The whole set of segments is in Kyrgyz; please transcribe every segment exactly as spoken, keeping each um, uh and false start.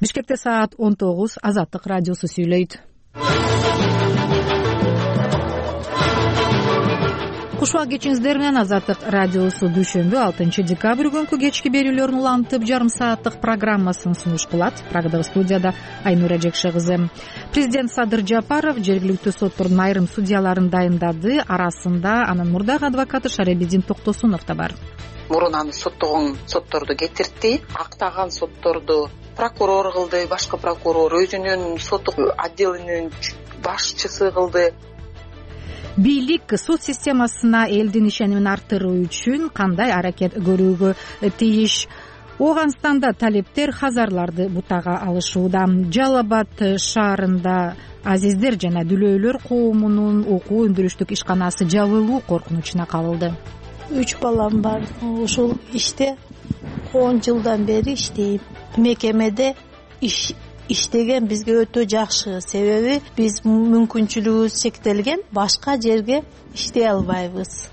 Бишкекте саат он тогуз. Азаттык радиосу сүйлөйт. Кушубак кечиңиздер менен Азаттык радиосу дүйшөмбү алтынчы декабрь күнкү кечки берүүлөрүн улантып жарым сааттык программасын сунуш кылат. Прагдагы студияда Айнура Жекше кызы. Президент Садыр Жапаров жергиликтүү соттордун айрым судьяларын дайындады. Арасында анын мурдагы адвокаты Шаребидин Токтосунов да бар. Мурун аны соттогон сотторду кетиртти, актаган сотторду прокурор кылды, башкы прокурор өзүнүн соттук отделинин башчысы кылды. Бийлик сот системасына элдин ишенимин арттыруу үчүн кандай аракет көрүүгө тийиш? Ооганстанда талептер хазарларды бутага алышууда. Жалал Абад шаарында азиздер жана дүлөйлөр коомунун окуу өндүрүштүк ишканасы жабылуу коркунучуна кабылды. Үч балам бар. Ушул иште он жылдан бери иштейм. Мекемеде иш иштеген бизге өтө жакшы. Себеби биз мүмкүнчүлүгүбүз чектелген, башка жерге иштей албайбыз.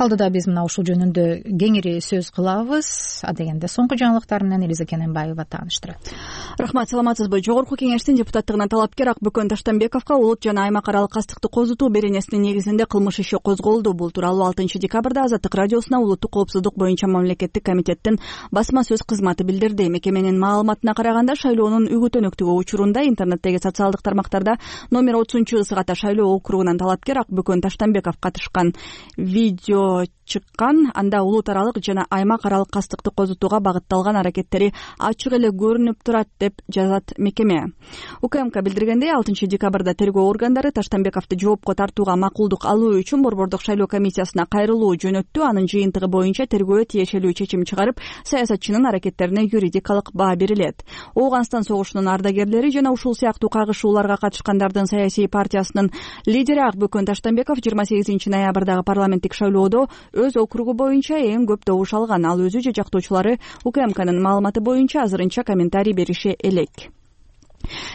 Алдыда биз мына ушул жөнүндө кеңири сөз кылабыз. Адегенде соңку жаңылыктар менен Элиза Кененбаева тааныштырат. Рахмат, саламатсызбы? Жогорку кеңештин депутаттыгына талапкер Акбөкөн Таштанбековго улут жана аймак аралык кастыкты козутуу беренесинин негизинде кылмыш иши козголду. Бул тууралуу алтынчы декабрда Азаттык радиосуна улуттук коопсуздук боюнча мамлекеттик комитеттин басма сөз кызматы билдирди. Мекеменин маалыматына караганда, шайлоонун үгүт-өнөктүгү учурунда интернеттеги социалдык тармактарда номер отузунчу ысыката шайлоо округунан талапкер Акбөкөн Таштанбеков катышкан видео чыккан. Анда улут аралык жана аймак аралык кастыкты козутууга багытталган аракеттери ачык эле көрүнүп турат деп жазат мекеме. УКМК билдиргендей, алтынчы декабрда тергөө органдары Таштанбековду жоопко тартууга макулдук алуу үчүн борбордук шайлоо комиссиясына кайрылуу жөнөттү. Анын жыйынтыгы боюнча тергөө тиешелүү чечим чыгарып, саясатчынын аракеттерине юридикалык баа берилет. Ооганстан согушунун ардагерлери жана ушул сыяктуу кагышууларга катышкандардын саясий партиясынын лидери Акбөкөн Таштанбеков жыйырма сегизинчи ноябрдагы парламенттик шайлоодо өз округу боюнча эң көп добуш алган. Ал өзү же жактоочулары УКМКнын маалыматы боюнча азырынча комментарий бериши элек.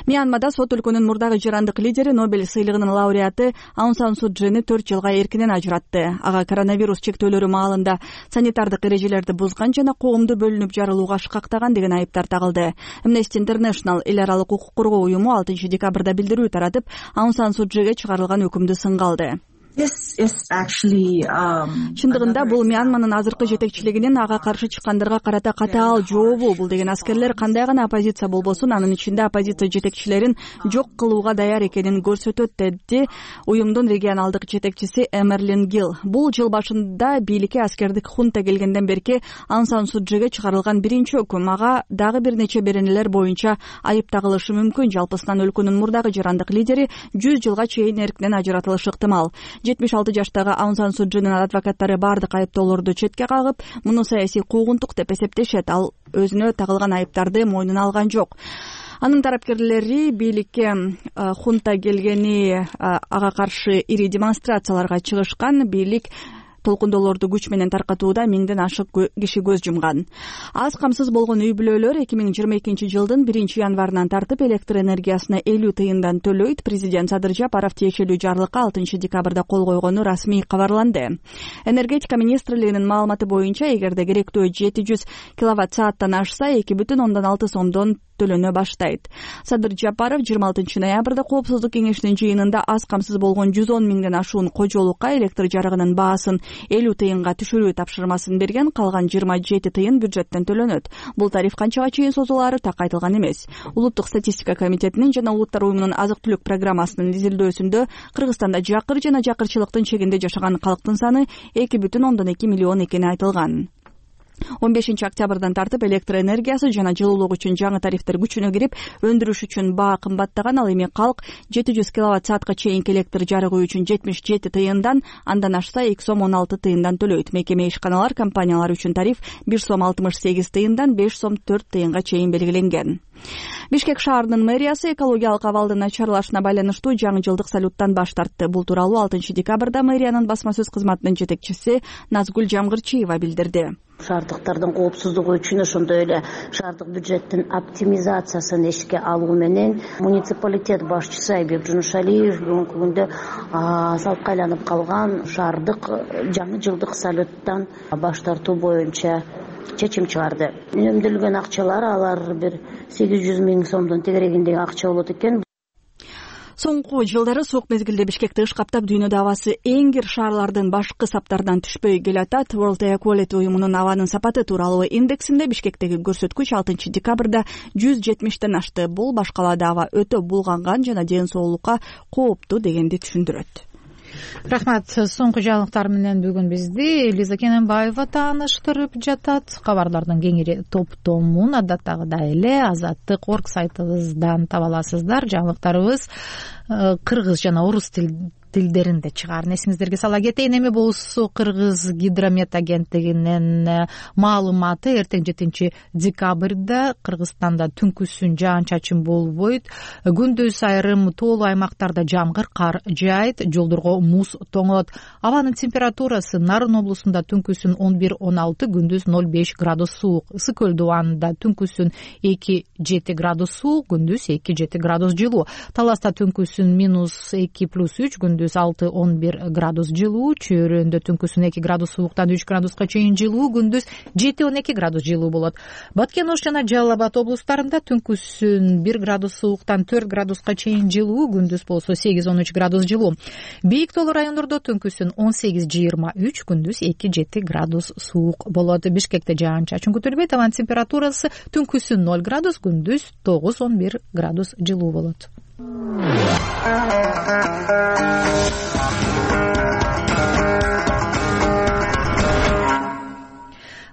Мьянмада сот өлкөнүн мурдагы жырандык лидери, Нобель сыйлыгынын лауреаты Аун Сан Су Чжини төрт жылга эркинен ажыратты. Ага коронавирус чектөөлөрү маалында санитардык эрежелерди бузган жана коомду бөлүнүп жарылууга шкактаган деген айыптар тагылды. Amnesty International эл аралык укук коргоо уюму алтынчы декабрда билдирүү таратып, Аун Сан Су Чжиге чыгарылган өкүмдү сынга алды. Чындыгында бул Мьянманын азыркы жетекчилигинин ага каршы чыккандарга карата катаал жообу. Бул деген аскерлер кандай гана оппозиция болбосун, анын ичинде оппозиция жетекчилерин жок кылууга даяр экенин көрсөтөт, деди уюмдун регионалдык жетекчиси Эмерлин Гил. Бул жыл башында бийликке аскердик хунта келгенден берки Аун Сан Су Чжиге чыгарылган биринчи өкүм. Ага дагы бир нече беренелер боюнча айып тагылышы мүмкүн. Жалпысынан өлкөнүн мурдагы жырандык лидери жүз жылга чейин эркинен ажыратылышы ыктымал. жетимиш алты жаштагы Аун Сан Су Чжинин адвокаттары бардык айыптоолорду четке кагып, муну саясий куугунтук деп эсептешет. Ал өзүнө тагылган айыптарды мойнуна алган жок. Анын тарапкерлери бийликке хунта келгени ага каршы ири демонстрацияларга чыгышкан. Бийлик толкундоолорду күч менен таркатууда миңден ашык киши көз жумган. Аз камсыз болгон үй бүлөлөр эки миң жыйырма экинчи жылдын биринчи январынан тартып электр энергиясына элүү тыйындан төлөйт. Президент Садыр Жапаров тиешелүү жарлыкка алтынчы декабрда кол койгону расмий кабарланды. Энергетика министрлигинин маалыматы боюнча, эгерде керектөө жети жүз киловатт сааттан ашса, эки бүтүн ондон алты сомдон төлөнө баштайт. Садыр Жапаров жыйырма алтынчы ноябрда коопсуздук кеңешинин жыйынында аз камсыз болгон жүз он миңден ашуун кожолукка электр жарыгынын баасын элүү тыйынга түшүрүү тапшырмасын берген. Калган жыйырма жети тыйын бюджеттен төлөнөт. Бул тариф канчага чейин созулаары так айтылган эмес. Улуттук статистика комитетинин жана Улуттар уюмунун азык-түлүк программасынын изилдөөсүндө Кыргызстанда жакыр жана жакырчылыктын чегинде жашаган калктын саны эки бүтүн ондон эки миллион экени айтылган. он бешинчи октябрдан тартып электр энергиясы жана жылуулук үчүн жаңы тарифтер күчүнө кирип, өндүрүш үчүн баа кымбаттаган. Ал эми калк жети жүз киловатт саатка чейинки электр жарыгы үчүн жетимиш жети тыйындан, андан ашса эки сом он алты тыйындан төлөйт. Мекеме ишканалар, компаниялар үчүн тариф бир сом алтымыш сегиз тыйындан беш сом төрт тыйынга чейин белгиленген. Бишкек шаарынын мэриясы экологиялык абалдын начарлашына байланыштуу жаңы жылдык салюттан баш тартты. Бул тууралуу алтынчы декабрда мэриянын басма сөз кызматынын жетекчиси Назгүл Жамгырчиева билдирди. Шаардыктардын коопсуздугу үчүн, ошондой эле шаардык бюджеттин оптимизациясын эшикке алуу менен муниципалитет башчысы Айбек Жунушалиев бүгүнкү күндө салтка айланып калган шаардык жаңы жылдык салюттан баш тартуу боюнча чечим чыгарды. Үнөмдөлгөн акчалар алар бир сегиз жүз миң сомдон тегерегиндеги акча болот экен. Соңку жылдары суук мезгилде Бишкекти ыш каптап, дүйнөдө абасы эң кир шаарлардын башкы саптарынан түшпөй келатат. World Air Quality уюмунун абанын сапаты тууралуу индексинде Бишкектеги көрсөткүч алтынчы декабрда жүз жетимиштен ашты. Бул башкаларда аба өтө булганган жана ден соолукка кооптуу дегенди түшүндүрөт. Рахмат. Соңку жаңылыктар менен бүгүн бизди Лиза Кененбаева тааныштырып жатат. Кабарлардын кеңири топтомун адаттагыдай эле Азаттык орг сайтыбыздан таба аласыздар. Жаңылыктарыбыз кыргыз жана орус тилдеринде чыгаарын эсиңиздерге сала кетейин. Эми болсо Кыргыз гидромет агенттигинин маалыматы эртең жетинчи декабрда Кыргызстанда түнкүсүн жаан-чачын болбойт. Күндүз айрым тоолуу аймактарда жамгыр, кар жаайт, жолдорго муз тоңот. Абанын температурасы Нарын облусунда түнкүсүн он бир он алты, күндүз ноль беш градус суук. Ысык көл дубанында түнкүсүн эки жети градус суук, күндүз эки жети градус жылуу. Таласта түнкүсүн минус эки плюс үч, күндүз алты он бир градус жылуу. Чөйрөндө түнкүсүн эки градус сууктан үч градуска чейин жылуу, күндүз жети он эки градус жылуу болот. Баткен Ош жана Жалал Абад облустарында түнкүсүн бир градус сууктан төрт градуска чейин жылуу, күндүз болсо сегиз он үч градус жылуу. Бийик тоолуу райондордо түнкүсүн он сегиз жыйырма үч, күндүз эки жети градус суук болот. Бишкекте жаан-чачын күтүлбөйт. Абанын температурасы түнкүсүн ноль градус, күндүз тогуз он бир градус жылуу болот.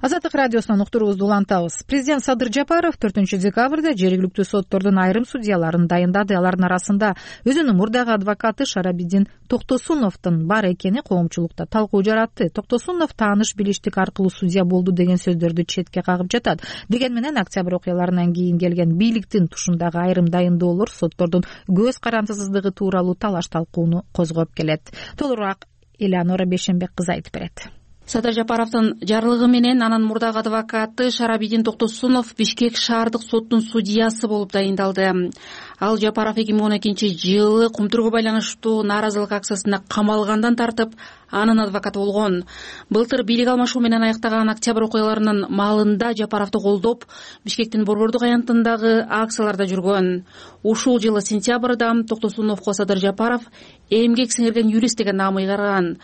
Азаттык радиосунан уктуруубузду улантабыз. Президент Садыр Жапаров төртүнчү декабрда жергиликтүү соттордун айрым судьяларын дайындады. Алардын арасында өзүнүн мурдагы адвокаты Шарабидин Токтосуновдун бар экени коомчулукта талкуу жаратты. Токтосунов тааныш билиштик аркылуу судья болду деген сөздөрдү четке кагып жатат. Деген менен октябрь окуяларынан кийин келген бийликтин тушундагы айрым дайындоолор соттордун көз карандысыздыгы тууралуу талаш талкууну козгоп келет. Толугураак Элеонора Бешенбек кызы айтып берет. Садыр Жапаровдун жарлыгы менен анын мурдагы адвокаты Шарабидин Токтосунов Бишкек шаардык соттун судьясы болуп дайындалды. Ал Жапаров эки миң он экинчи жылы кумтурууга байланыштуу нааразылык акциясында камалгандан тартып анын адвокаты болгон. Былтыр бийлик алмашуу менен аяктаган октябрь окуяларынын маалында Жапаровду колдоп Бишкектин Борбордук аянтындагы акцияларда жүргөн. Ушул жылы сентябрда Токтосуновго Садыр Жапаров эмгек сиңирген юрист деген наам ыйгарган.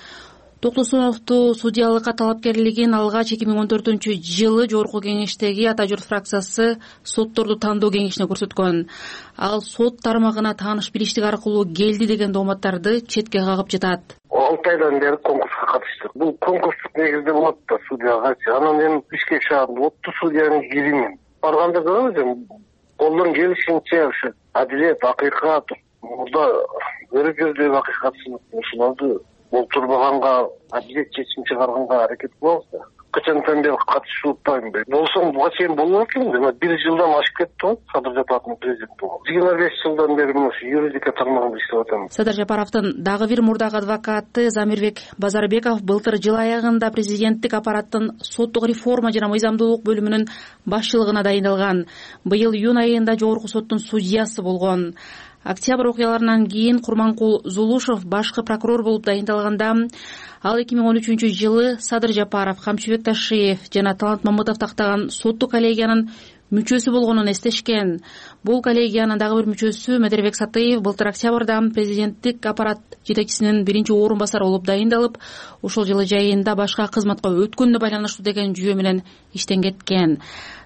Токтосуновду судьялыкка талапкерлигин алгач эки миң он төртүнчү жылы Жогорку кеңештеги Ата журт фракциясы сотторду тандоо кеңешине көрсөткөн. Ал сот тармагына тааныш билиштик аркылуу келди деген дооматтарды четке кагып жатат. алты айдан бери конкурска катыштык. Бул конкурстук негизде болот да судьягачы. Анан мен Бишкек шаарында оттуу судьянын киримин барганда көрөбүз, колдон келишинче ушу адилет, акыйкат, мурда көрүп жүрдүк акыйкатсыздык ушуларды болтурбаганга, адилет чечим чыгарганга аракет кылабыз да. Качантан бери катышып атпайм. Болсоң буга чейин болбой экен. Бир жылдан ашып кетти го Садыр Жапаровдун президент болгон. жыйырма беш жылдан бери ушу юридика тармагында иштеп атам. Садыр Жапаровдун дагы бир мурдагы адвокаты Замирбек Базарбеков былтыр жыл аягында президенттик аппараттын соттук реформа жана мыйзамдуулук бөлүмүнүн башчылыгына дайындалган. Быйыл июнь айында Жогорку соттун судьясы болгон. Октябрь окуяларынан кийин Курманкул Зулушев башкы прокурор болуп дайындалганда ал эки миң он үчүнчү жылы Садыр Жапаров, Камчыбек Ташиев жана Талант Мамытов тактаган соттук коллегиянын мүчөсү болгонун эстешкен. Бул коллегиянын дагы бир мүчөсү Медербек Сатыев былтыр октябрда президенттик аппарат жетекчисинин биринчи орун басары болуп дайындалып, ушул жылы жайында башка кызматка өткөнүнө байланыштуу деген жүйө менен иштен кеткен.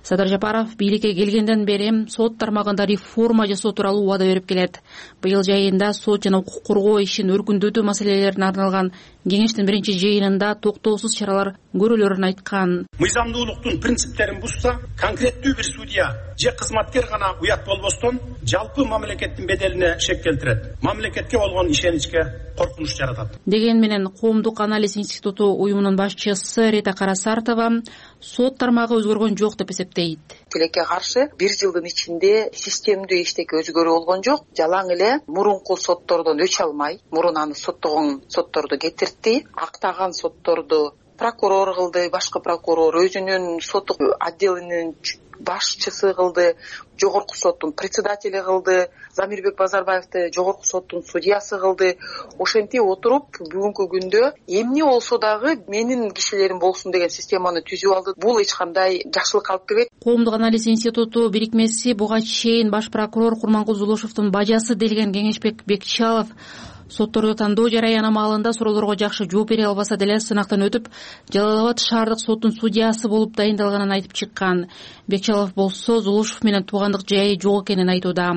Садыр Жапаров бийликке келгенден бери сот тармагында реформа жасоо тууралуу убада берип келет. Быйыл жайында сот жана укук коргоо ишин өркүндөтүү маселелерине арналган кеңештин биринчи жыйынында токтоосуз чаралар көрүлөрүн айткан. Мыйзамдуулуктун принциптерин бузса, конкреттүү бир судья же кызматкер гана уят болбостон, жалпы мамлекеттин беделине шек келтирет. Мамлекетке болгон ишеничке коркунуч жаратат. Деген менен Коомдук анализ институту уюмунун башчысы Рита Карасартова сот тармагы өзгөргөн жок деп эсептейт. Тилекке каршы бир жылдын ичинде системдүү эчтеке өзгөрүү болгон жок. Жалаң эле мурунку соттордон өч алмай, мурун аны соттогон сотторду кетиртти, актаган сотторду прокурор кылды, башкы прокурор өзүнүн соттук отделинин башчысы кылды, жогорку соттун председатели кылды, Замирбек Базарбаевди жогорку соттун судьясы кылды. Ошентип отуруп бүгүнкү күндө эмне болсо дагы менин кишилерим болсун деген системаны түзүп алды. Бул эч кандай жакшылыкка алып келбейт. Коомдук анализ институту бирикмеси буга чейин баш прокурор Курмангул Зулушевдун бажасы делген Кеңешбек Бекчалов сотторду тандоо жараяны маалында суроолорго жакшы жооп бере албаса деле сынактан өтүп, Жалал Абад шаардык соттун судьясы болуп дайындалганын айтып чыккан. Бекчалов болсо Зулушев менен туугандык жайы жок экенин айтууда.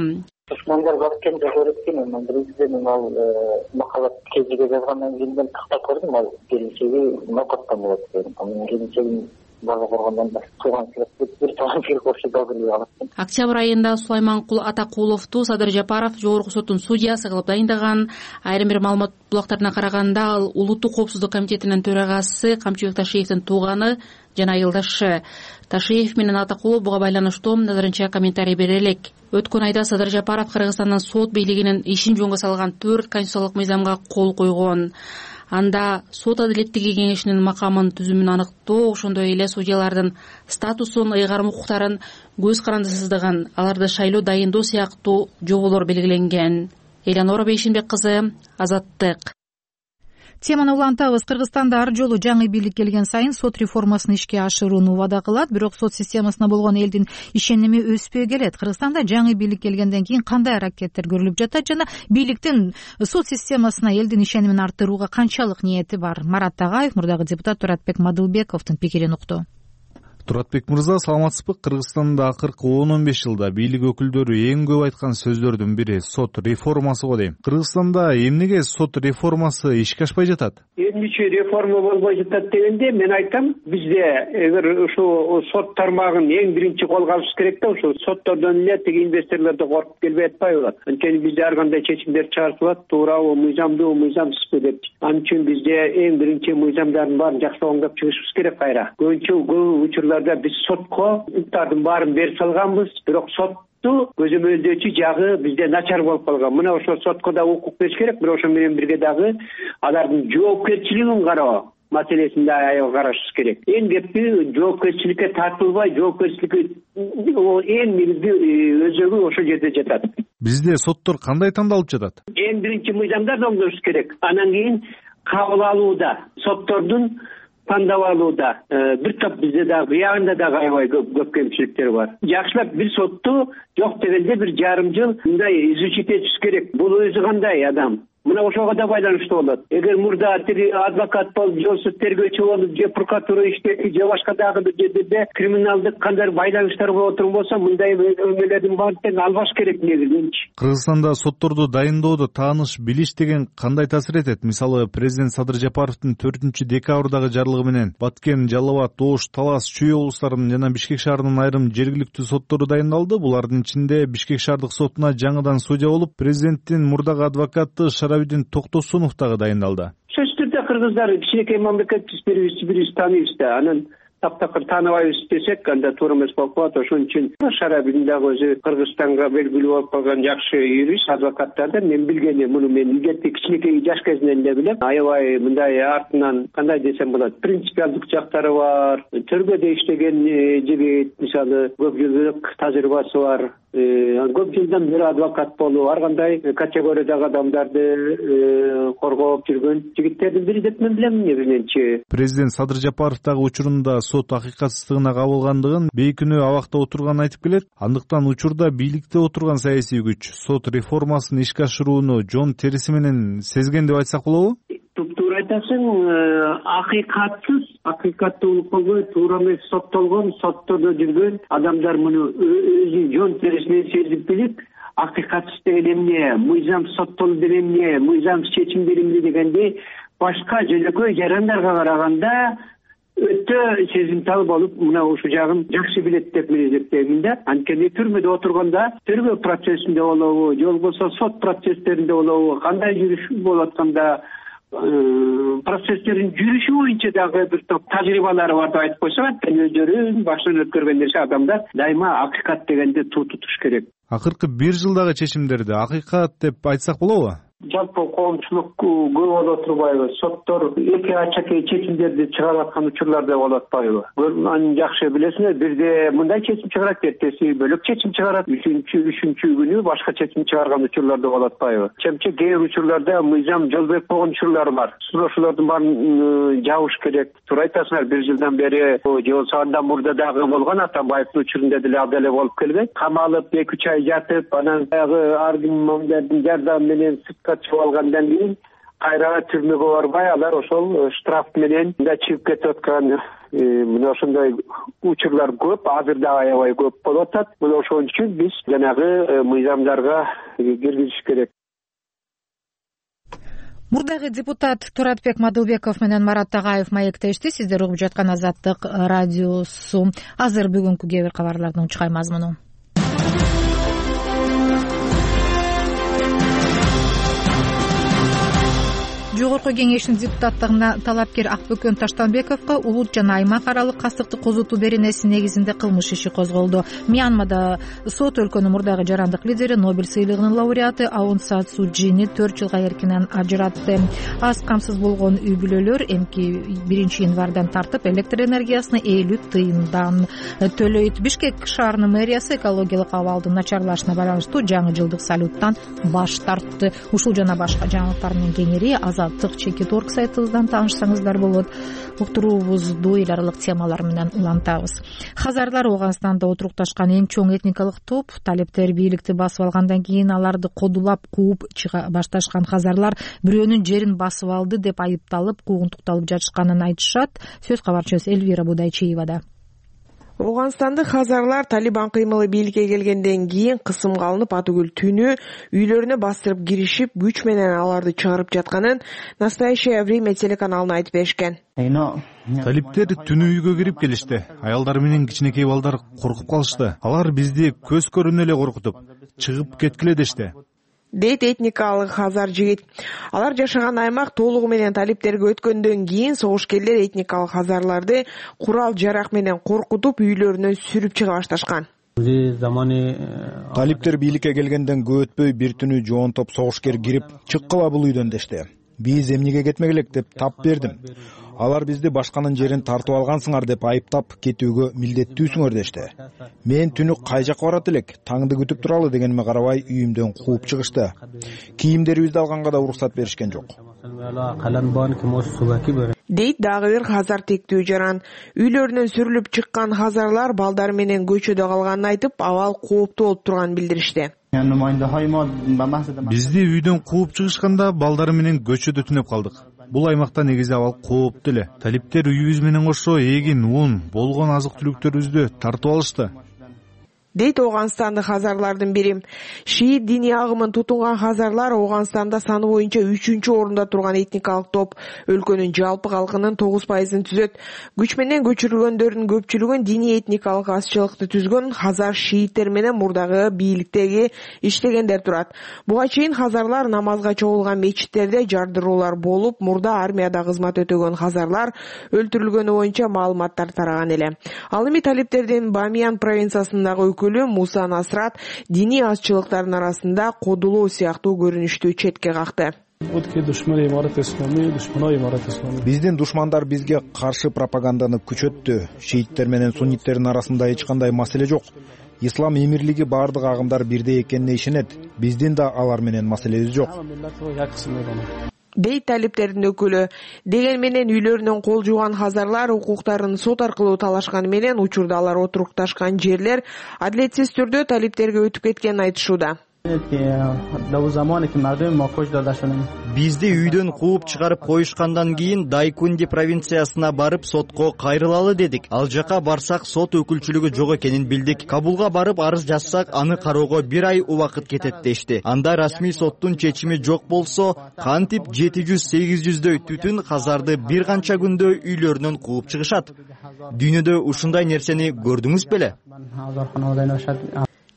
Душмандар бар экен, жок экен. Мен биринчиден ал макалат кезиге жазгандан кийин мен тактап көрдүм, ал келинчеги нокоттон болот дедим. Анын келинчегин бала коргондон да туугансыз бир туугансыз болушу да билип алат. Октябрь айында Сулайманкул Атакуловду Садыр Жапаров жогорку соттун судьясы кылып дайындаган. Айрым бир маалымат булактарына караганда, ал Улуттук коопсуздук комитетинин төрагасы Камчыбек Ташиевдин тууганы жана айылдашы. Ташиев менен Атакулов буга байланыштуу назарынча комментарий бере элек. Өткөн айда Садыр Жапаров Кыргызстандын сот бийлигинин ишин жөнгө салган төрт конституциялык мыйзамга кол койгон. Анда сот адилеттиги кеңешинин макамын түзүмүн аныктоо, ошондой эле судьялардын статусун, ыйгарым укуктарын, көз карандысыздыгын, аларды шайлоо дайындоо сыяктуу жоболор белгиленген. Элянора Бейшенбек кызы, Азаттык. Теманы улантабыз. Кыргызстанда ар жолу жаңы бийлик келген сайын сот реформасын ишке ашырууну убада кылат, бирок сот системасына болгон элдин ишеними өспөй келет. Кыргызстанда жаңы бийлик келгенден кийин кандай аракеттер көрүлүп жатат жана бийликтин сот системасына элдин ишенимин арттырууга канчалык ниети бар? Марат Тагаев мурдагы депутат Туратбек Мадылбековдун пикирин укту. Туратбек мырза, саламатсызбы? Кыргызстанда акыркы он он беш жылда бийлик өкүлдөрү эң көп айткан сөздөрдүн бири сот реформасы го дейм. Кыргызстанда эмнеге сот реформасы ишке ашпай жатат? Эмнече реформа болбой жатат дегенде мен айтам, бизде эгер ушу сот тармагын эң биринчи колго алыш керек да, ушу соттордон эле тиги инвесторлорду коркуп келбей атпайбы? Анткени бизде ар кандай чечимдер чыгарылат, туурабы, мыйзамдуу, мыйзамсызбы деп. Анын үчүн бизде эң биринчи мыйзамдардын баарын жакшы оңдоп чыгышыбыз керек кайра. Көбүнчө көп учурларда биз сотко укуктардын баарын берип салганбыз, бирок сотту көзөмөлдөөчү жагы бизде начар болуп калган. Мына ошо сотко да укук бериш керек, бирок ошо менен бирге дагы алардын жоопкерчилигин кароо маселесин да аябай карашыбыз керек. Эң кепти жоопкерчиликке тартылбай, жоопкерчиликти эң негизги өзөгү ошол жерде жатат. Бизде соттор кандай тандалып жатат? Эң биринчи мыйзамдарды оңдош керек. Анан кийин кабыл алууда, соттордун тандап алууда бир топ бизде дагы буягында дагы аябай көп кемчиликтер бар. Жакшылап бир сотту жок дегенде бир жарым жыл мындай изучить этишибиз керек. Бул өзү кандай адам? Мына ошого да байланыштуу болот. Эгер мурда адвокат болуп, же тергөөчү болуп, же прокуратура иштеди, же башка дагы бир жерде криминалдык кандай байланыштар болуп отурган болсо, мындай өмөлөрдүн баарын тең албаш керек негизинчи. Кыргызстанда сотторду дайындоодо тааныш, билиш деген кандай таасир этет? Мисалы, президент Садыр Жапаровдун төртүнчү декабрдагы жарлыгы менен Баткен, Жалал Абад, Ош, Талас, Чүй облустарынын жана Бишкек шаарынын айрым жергиликтүү соттору дайындалды. Булардын ичинде Бишкек шаардык сотуна жаңыдан судья болуп, президенттин мурдагы адвокаты Шарабидин Токтосунов дагы дайындалды. Сөзсүз түрдө кыргыздар кичинекей мамлекетпиз, бирибизди бирибиз тааныйбыз да. Анан таптакыр тааныбайбыз десек, анда туура эмес болуп калат. Ошон үчүн Шарабидин дагы өзү Кыргызстанга белгилүү болуп калган жакшы юрист, адвокаттардан мен билгени, муну мен илгерки кичинекей жаш кезинен эле билем. Аябай мындай артынан кандай десем болот, принципиалдык жактары бар. Төргөдө иштеген жигит, мисалы, көп жылдык тажрыйбасы бар. Көп жылдан бери адвокат болуп, ар кандай категориядагы адамдарды коргоп жүргөн жигиттердин бири деп мен билем негизиненчи. Президент Садыр Жапаров дагы учурунда сот акыйкатсыздыгына кабылгандыгын, бейкүнөө абакта отурганын айтып келет. Андыктан учурда бийликте отурган саясий күч сот реформасын ишке ашырууну жон териси менен сезген деп айтсак болобу? Туптуура айтасың, акыйкатсыз, акыйкаттуулук болбой, туура эмес соттолгон, соттордо жүргөн адамдар муну өзү жон терисинен сезип билип, акыйкатсыз деген эмне, мыйзам соттолуу деген эмне, мыйзам чечимдери эмне дегенде башка жөнөкөй жарандарга караганда өтө сезимтал болуп, мына ушул жагын жакшы билет деп мен эсептейм да. Анткени түрмөдө отурганда тергөө процессинде болобу, же болбосо сот процесстеринде болобу, кандай жүрүш болуп атканда процесстерин жүрүшү боюнча дагы бир топ тажрыйбалары бар деп айтып койсок, анткени өздөрүн башынан өткөргөн нерсе адамдар дайыма акыйкат дегенде туу тутуш керек. Акыркы бир жылдагы чечимдерди акыйкат деп айтсак болобу? жалпы коомчулук көп боло турбайбы? Соттор эки ачакей чечимдерди чыгарып аткан учурлар да болуп атпайбы? Аны жакшы билесиңер. Бирде мындай чечим чыгарат, эртеси бөлөк чечим чыгарат, үчүнчү үчүнчү күнү башка чечим чыгарган учурлар да болуп атпайбы? Чемче кээ бир учурларда мыйзам жолбойт болгон учурлар бар. Ошолордун баарын жабыш керек. Туура айтасыңар, бир жылдан бери же болбосо андан мурда дагы болгон Атамбаевдин учурунда деле абдан эле болуп келген. Камалып эки үч ай жатып, анан дагы аргументтердин жардамы менен сыртка чыгып алгандан кийин кайра түрмөгө барбай алар ошол штраф менен да чыгып кетип аткан мына ошондой учурлар көп, азыр да аябай көп болуп атат. Мына ошон үчүн биз жанагы мыйзамдарга киргизиш керек. Мурдагы депутат Туратбек Мадылбеков менен Марат Тагаев маектешти. Сиздер угуп жаткан Азаттык радиосу. Азыр бүгүнкү кээ бир кабарлардын чыкай мазмуну. Жогорку кеңештин депутаттыгына талапкер Акбөкөн Таштанбековго улут жана аймак аралык кастыктык козутуу беренеси негизинде кылмыш иши козголду. Мьянмада сот өлкөнүн мурдагы жарандык лидери, Нобель сыйлыгынын лауреаты Аун Сан Су Чжини төрт жылга эркинен ажыратты. Аз камсыз болгон үй бүлөлөр эмки биринчи январдан тартып электр энергиясына элүү тыйындан төлөйт. Бишкек шаарынын мэриясы экологиялык абалдын начарлашына байланыштуу жаңы жылдык салюттан баш тартты. Ушул жана башка жаңылыктар менен кеңири Азаттык чекит орг сайтыбыздан таанышсаңыздар болот. Уктуруубузду эл аралык темалар менен улантабыз. Хазарлар Ооганстанда отурукташкан эң чоң этникалык топ. Талептер бийликти басып алгандан кийин аларды кодулап кууп чыга башташкан хазарлар бирөөнүн жерин басып алды деп айыпталып, куугунтукталып жатышканын айтышат. Сөз кабарчыбыз Эльвира Будайчиевада. Ооганстандык хазарлар Талибан кыймылы бийликке келгенден кийин кысымга алынып, атүгүл түнү үйлөрүнө бастырып киришип, күч менен аларды чыгарып жатканын Настоящее время телеканалына айтып беришкен. Талиптер түнү үйгө кирип келишти. Аялдар менен кичинекей балдар коркуп калышты. Алар бизди көз көрүнө эле коркутуп, чыгып кеткиле дешти, дейт этникалык хазар жигит. Алар жашаган аймак толугу менен талиптерге өткөндөн кийин согушкерлер этникалык хазарларды курал жарак менен коркутуп, үйлөрүнөн сүрүп чыга башташкан. Талиптер бийликке келгенден көп өтпөй бир түнү жоон топ согушкер кирип, чыккыла бул үйдөн дешти. Биз эмнеге кетмек элек деп тап бердим. Алар бизди башканын жерин тартып алгансыңар деп айыптап, кетүүгө милдеттүүсүңөр дешти. Мен түнү кай жакка барат элек, таңды күтүп туралы дегениме карабай үйүмдөн кууп чыгышты. Кийимдерибизди алганга да уруксат беришкен жок. Дейт дагы бир хазар тектүү жаран. Үйлөрүнөн сүрүлүп чыккан хазарлар балдар менен көчөдө калганын айтып, абал кооптуу болуп турганын билдиришти. Бизди үйдөн кууп чыгышканда балдары менен көчөдө түнөп калдык. Бул аймакта негизи абал кооптуу эле. Талиптер үйүбүз менен кошо эгин, ун, болгон азык-түлүктөрүбүздү тартып алышты, дейт Ооганстандык хазарлардын бири. Шиит диний агымын тутунган хазарлар Ооганстанда саны боюнча үчүнчү орунда турган этникалык топ. Өлкөнүн жалпы калкынын тогуз пайызын түзөт. Күч менен көчүрүлгөндөрдүн көпчүлүгүн диний этникалык азчылыкты түзгөн хазар шииттер менен мурдагы бийликтеги иштегендер турат. Буга чейин хазарлар намазга чогулган мечиттерде жардыруулар болуп, мурда армияда кызмат өтөгөн хазарлар өлтүрүлгөнү боюнча маалыматтар тараган эле. Ал эми талиптердин Бамиян провинциясындагы Муса Насрат диний азчылыктардын арасында кодулоо сыяктуу көрүнүштү четке какты. Биздин душмандар бизге каршы пропаганданы күчөттү. Шииттер менен сунниттердин арасында эч кандай маселе жок. Ислам эмирлиги бардык агымдар бирдей экенине ишенет. Биздин да алар менен маселебиз жок, дейт талиптердин өкүлү. Деген менен үйлөрүнөн кол жууган хазарлар укуктарын сот аркылуу талашканы менен учурда алар отурукташкан жерлер адилетсиз түрдө талиптерге өтүп кеткенин айтышууда. Бизди үйдөн кууп чыгарып коюшкандан кийин Дайкунди провинциясына барып сотко кайрылалы дедик. Ал жака барсак сот өкүлчүлүгү жок экенин билдик. Кабулга барып арыз жазсак, аны кароого бир ай убакыт кетет дешти. Анда расмий соттун чечими жок болсо, кантип жети жүз сегиз жүздөй түтүн хазарды бир канча күндө үйлөрүнөн кууп чыгышат. Дүйнөдө ушундай нерсени көрдүңүз беле?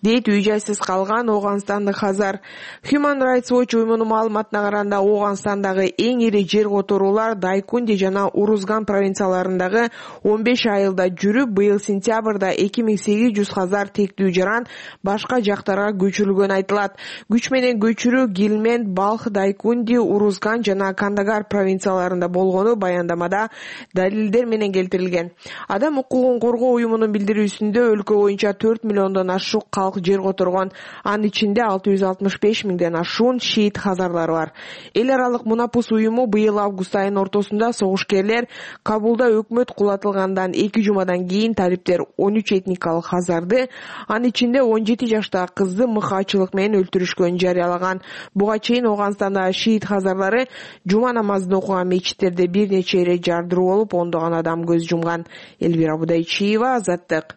дейт үй жайсыз калган ооганстандык Хазар. Human Rights Watch уюмунун маалыматына караганда Ооганстандагы эң ири жер которуулар Дайкунди жана Урузган провинцияларындагы он беш айылда жүрүп, быйыл сентябрда эки миң сегиз жүз Хазар тектүү жаран башка жактарга көчүрүлгөнү айтылат. Күч менен көчүрүү Гилмент, Балх, Дайкунди, Урузган жана Кандагар провинцияларында болгону баяндамада далилдер менен келтирилген. Адам укугун коргоо уюмунун билдирүүсүндө өлкө боюнча төрт миллиондон ашык калк жер которгон. Анын ичинде алты жүз алтымыш беш миңден ашуун шиит хазарлары бар. Эл аралык Мунапус уюму быйыл август айынын ортосунда согушкерлер Кабулда өкмөт кулатылгандан эки жумадан кийин талиптер он үч этникалык хазарды, анын ичинде он жети жаштагы кызды мыкаачылык менен өлтүрүшкөнүн жарыялаган. Буга чейин Ооганстанда шиит хазарлары жума намазын окуган мечиттерде бир нече ирет жардыруу болуп, ондогон адам көз жумган. Элвира Будайчиева, Азаттык.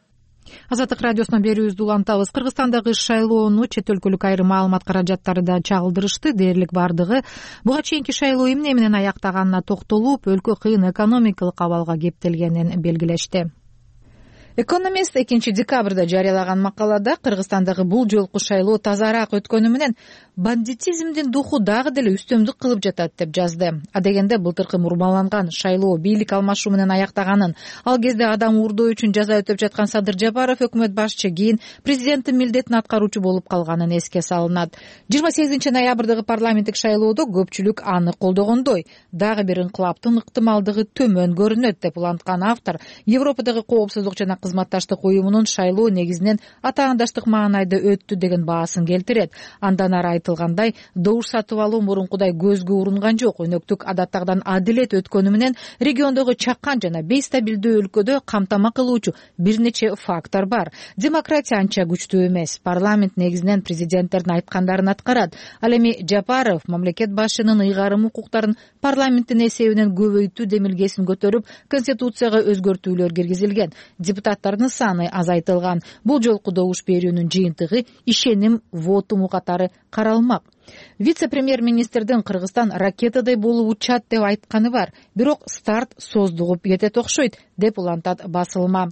Азаттык радиосуна берүүбүздү улантабыз. Кыргызстандагы шайлоону чет өлкөлүк айрым маалымат каражаттары да чагылдырышты. Дээрлик бардыгы буга чейинки шайлоо эмне менен аяктаганына токтолуп, өлкө кыйын экономикалык абалга кептелгенин белгилешти. Экономист экинчи декабрда жарыялаган макалада Кыргызстандагы бул жолку шайлоо тазараак өткөнү менен бандитизмдин духу дагы деле үстөмдүк кылып жатат деп жазды. Адегенде былтыркы мурмаланган шайлоо бийлик алмашуу менен аяктаганын, ал кезде адам уурдоо үчүн жаза өтөп жаткан Садыр Жапаров өкмөт башчы кийин президенттин милдетин аткаруучу болуп калганын эске салынат. жыйырма сегизинчи ноябрдагы парламенттик шайлоодо көпчүлүк аны колдогондой, дагы бир инкылаптын ыктымалдыгы төмөн көрүнөт деп уланткан автор Европадагы коопсуздук жана кызматташтык уюмунун шайлоо негизинен атаандаштык маанайда өттү деген баасын келтирет. Андан ары айтылгандай, добуш сатып алуу мурункудай көзгө урунган жок. Өнөктүк адаттагыдан адилет өткөнү менен региондогу чакан жана бейстабилдүү өлкөдө камтама кылуучу бир нече фактор бар. Демократия анча күчтүү эмес. Парламент негизинен президенттердин айткандарын аткарат. Ал эми Жапаров мамлекет башчынын ыйгарым укуктарын парламенттин эсебинен көбөйтүү демилгесин көтөрүп, конституцияга өзгөртүүлөр киргизилген. Депутаттардын саны азайтылган. Бул жолку добуш берүүнүн жыйынтыгы ишеним вотуму катары каралмак. Вице-премьер-министрдин Кыргызстан ракетадай болуп учат деп айтканы бар. Бирок старт создугуп кетет окшойт деп улантат басылма.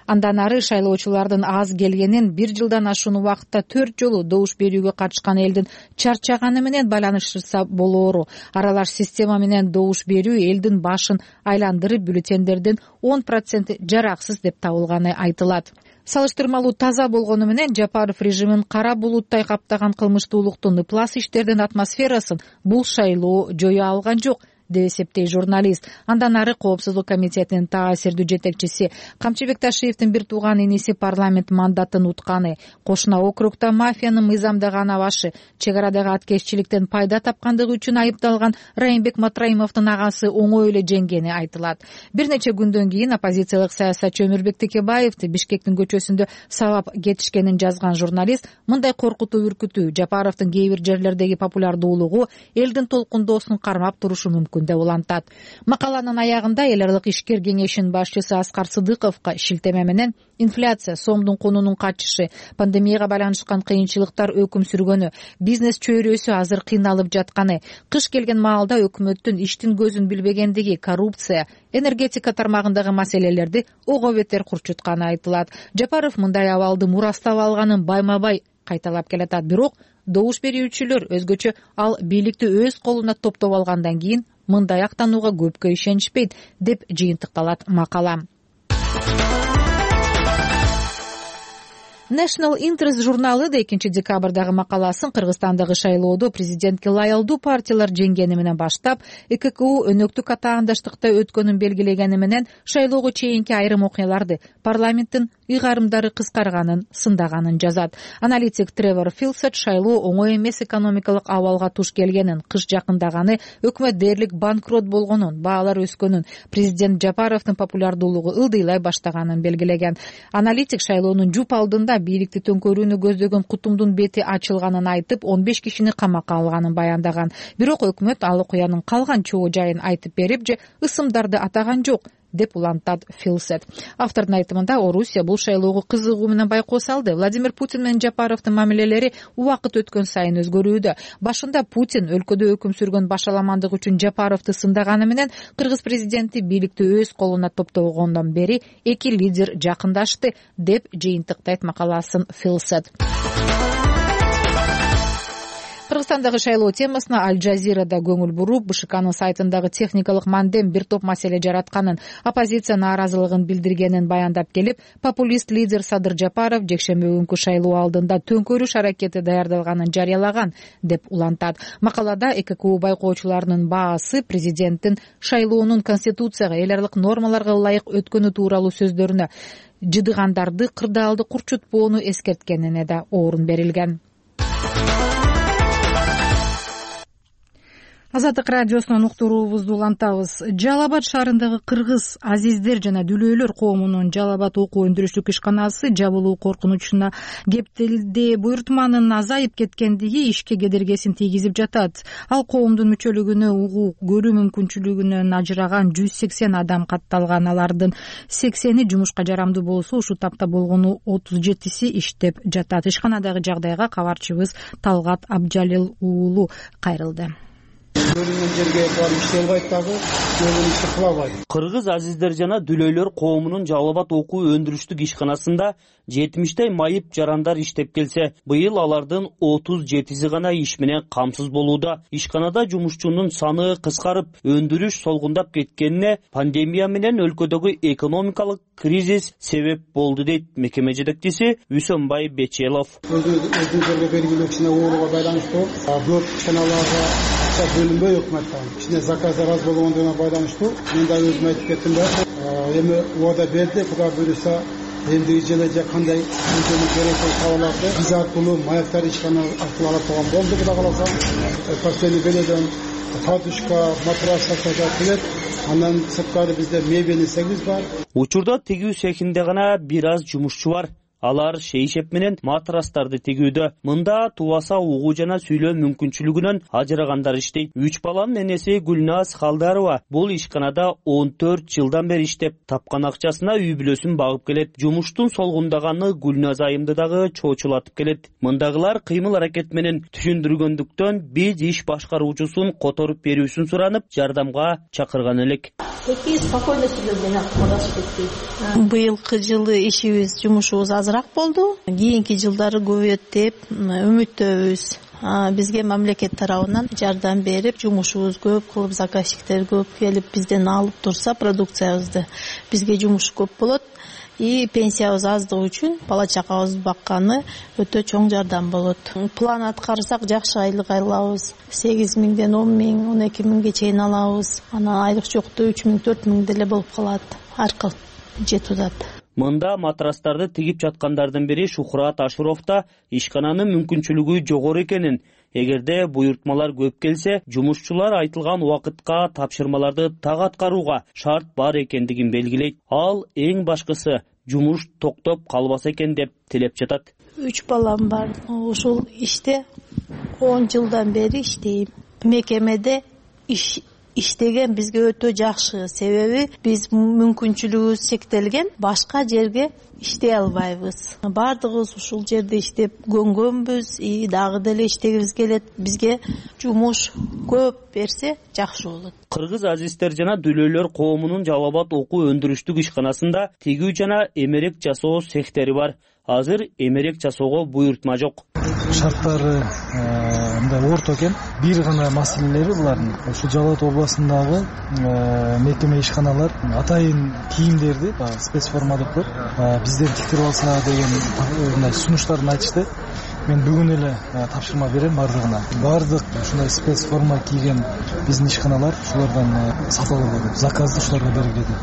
Андан ары шайлоочулардын аз келгенин бир жылдан ашуун убакытта төрт жолу добуш берүүгө катышкан элдин чарчаганы менен байланыштырса болоору. Аралаш система менен добуш берүү элдин башын айландырып, бюллетендердин он проценти жараксыз деп табылганы айтылат. Салыштырмалуу таза болгону менен Жапаров режимин кара булуттай каптаган кылмыштуулуктун ыплас иштердин атмосферасын бул шайлоо жое алган жок деп эсептейт журналист. Андан ары Коопсуздук комитетинин таасирдүү жетекчиси Камчыбек Ташиевдин бир тууган иниси парламент мандатын утканы, кошуна округда мафиянын мыйзамдаган абашы, чек арадагы аткезчиликтен пайда тапкандыгы үчүн айыпталган Райымбек Матраимовдун агасы оңой эле жеңгени айтылат. Бир нече күндөн кийин оппозициялык саясатчы Өмүрбек Текебаевди Бишкектин көчөсүндө сабап кетишкенин жазган журналист мындай коркутуу үркүтүү Жапаровдун кээ бир жерлердеги популярдуулугу элдин толкундоосун кармап турушу мүмкүн деп улантат. Макаланын аягында эл аралык ишкер кеңешинин башчысы Аскар Сыдыковго шилтеме менен инфляция, сомдун кунунун качышы, пандемияга байланышкан кыйынчылыктар өкүм сүргөнү, бизнес чөйрөсү азыр кыйналып жатканы, кыш келген маалда өкмөттүн иштин көзүн билбегендиги, коррупция, энергетика тармагындагы маселелерди ого бетер курчутканы айтылат. Жапаров мындай абалды мурастап алганын байма-бай кайталап келатат. Бирок добуш берүүчүлөр өзгөчө ал бийликти өз колуна топтоп алгандан кийин мындай актанууга көпкө ишенишпейт деп жыйынтыкталат макала. National Interest журналы да экинчи декабрдагы макаласын Кыргызстандагы шайлоодо президентке лаялдуу партиялар жеңгени менен баштап, э ка ка у өнөктүк атаандаштыкта өткөнүн белгилегени менен шайлоого чейинки айрым окуяларды, парламенттин ыйгарымдары кыскарганын, сындаганын жазат. Аналитик Тревор Филсет шайлоо оңой эмес экономикалык абалга туш келгенин, кыш жакындаганы, өкмөт дээрлик банкрот болгонун, баалар өскөнүн, президент Жапаровдун популярдуулугу ылдыйлай баштаганын белгилеген. Аналитик шайлоонун жуп алдында бийликти төңкөрүүнү көздөгөн кутумдун бети ачылганын айтып, он беш кишини камакка алганын баяндаган. Бирок өкмөт ал окуянын калган чоо жайын айтып берип же ысымдарды атаган жок. деп улантат Филсет. Автордун айтымында Орусия бул шайлоого кызыгуу менен байкоо салды. Владимир Путин менен Жапаровдун мамилелери убакыт өткөн сайын өзгөрүүдө. Башында Путин өлкөдө өкүм сүргөн башаламандык үчүн Жапаровду сындаганы менен кыргыз президенти бийликти өз колуна топтогондон бери эки лидер жакындашты деп жыйынтыктайт макаласын Филсет. Кыргызстандагы шайлоо темасына Аль Жазирада көңүл буруп, БШКнын сайтындагы техникалык мандем бир топ маселе жаратканын, оппозиция нааразылыгын билдиргенин баяндап келип, популист лидер Садыр Жапаров жекшемби күнкү шайлоо алдында төңкөрүш аракети даярдалганын жарыялаган деп улантат. Макалада Э К К У байкоочуларынын баасы президенттин шайлоонун конституцияга, эл аралык нормаларга ылайык өткөнү тууралуу сөздөрүнө жыдыгандарды кырдаалды курчутпоону эскерткенине да орун берилген. Азаттык радиосунун уктуруубузду улантабыз. Жалал Абад шаарындагы кыргыз азиздер жана дүлөөлөр коомунун Жалал Абад окуу өндүрүштүк ишканасы жабылуу коркунучуна кептелди. Буйртманын азайып кеткендиги ишке кедергесин тийгизип жатат. Ал коомдун мүчөлүгүнө угуу көрүү мүмкүнчүлүгүнөн ажыраган жүз сексен адам катталган. Алардын сексени жумушка жарамдуу болсо, ушул тапта болгону отуз жетиси иштеп жатат. Ишканадагы жагдайга кабарчыбыз Талгат Абжалил уулу кайрылды. Бөлүнгөн жерге барып иштей албайт дагы, бөлүнгөн ишти кыла албайт. Кыргыз азиздер жана дүлөөлөр коомунун Жалал Абад окуу өндүрүштүк ишканасында жетимиштей майып жарандар иштеп келсе, быйыл алардын отуз жетиси гана иш менен камсыз болууда. Ишканада жумушчунун саны кыскарып, өндүрүш солгундап кеткенине пандемия менен өлкөдөгү экономикалык кризис себеп болду дейт мекеме жетекчиси Үсөнбай Бечелов. Өзүңүзгө белгилүү кичине ооруга байланыштуу көп ишканаларга бөлүнбөй өкмөттөн кичине заказдар аз болгондугуна байланыштуу. Мен да өзүм айтып кеттим да, эми убада берди, Кудай буйруса эндиги жылы же кандай керек болуп каларды биз аркылуу маяктар ишкана аркылуу ала турган болду. Кудай кааласа постоянный беледен подушка, матрас сатып келет. Андан сырткары бизде мебель сегиз бар. Учурда тигүү цехинде гана бир аз жумушчу бар. Алар шейшеп менен матрастарды тигүүдө. Мында тубаса угуу жана сүйлөө мүмкүнчүлүгүнөн ажырагандар иштейт. Үч баланын энеси Гүлназ Халдарова бул ишканада он төрт жылдан бери иштеп, тапкан акчасына үй бүлөсүн багып келет. Жумуштун солгундаганы Гүлназ айымды дагы чоочулатып келет. Мындагылар кыймыл аракет менен түшүндүргөндүктөн биз иш башкаруучусун которуп берүүсүн суранып, жардамга чакырган элек. Быйылкы жылы ишибиз, жумушубуз азыраак болду. Кийинки жылдары көбөйөт деп үмүттөбүз. Бизге мамлекет тарабынан жардам берип, жумушубуз көп кылып, заказчиктер көп келип бизден алып турса продукциябызды, бизге жумуш көп болот. И пенсиябыз аздыгы үчүн бала чакабызды бакканы өтө чоң жардам болот. План аткарсак жакшы айлык алабыз. сегиз миңден он миң, он эки миңге чейин алабыз. Анан айлык жокто үч миң, төрт миң деле болуп калат. Аркыл жетип атат. Мында матрастарды тигип жаткандардын бири Шухрат Ашуров да ишкананын мүмкүнчүлүгү жогору экенин, эгерде буйртмалар көп келсе, жумушчулар айтылган убакытка тапшырмаларды так аткарууга шарт бар экендигин белгилейт. Ал эң башкысы жумуш токтоп калбаса экен деп тилеп жатат. Үч балам бар. Ушул иште он жылдан бери иштейм. Мекемеде иш иштеген бизге өтө жакшы. Себеби биз мүмкүнчүлүгүбүз чектелген, башка жерге иштей албайбыз. Бардыгыбыз ушул жерде иштеп көнгөнбүз, и дагы деле иштегибиз келет. Бизге жумуш көп берсе жакшы болот. Кыргыз азиздер жана дүлөөлөр коомунун Жалал Абад окуу өндүрүштүк ишканасында тигүү жана эмерек жасоо цехтери бар. Азыр эмерек жасоого буйртма жок. Шарттары мындай орто экен. Бир гана маселелери булардын. Ушу Жалал Абад областындагы мекеме ишканалар атайын кийимдерди спецформа деп коет, бизден тиктирип алса деген мындай сунуштарын айтышты. Мен бүгүн эле тапшырма берем бардыгына. Бардык ушундай спецформа кийген биздин ишканалар ушулардан сатып алып, заказды ушуларга бергиледи.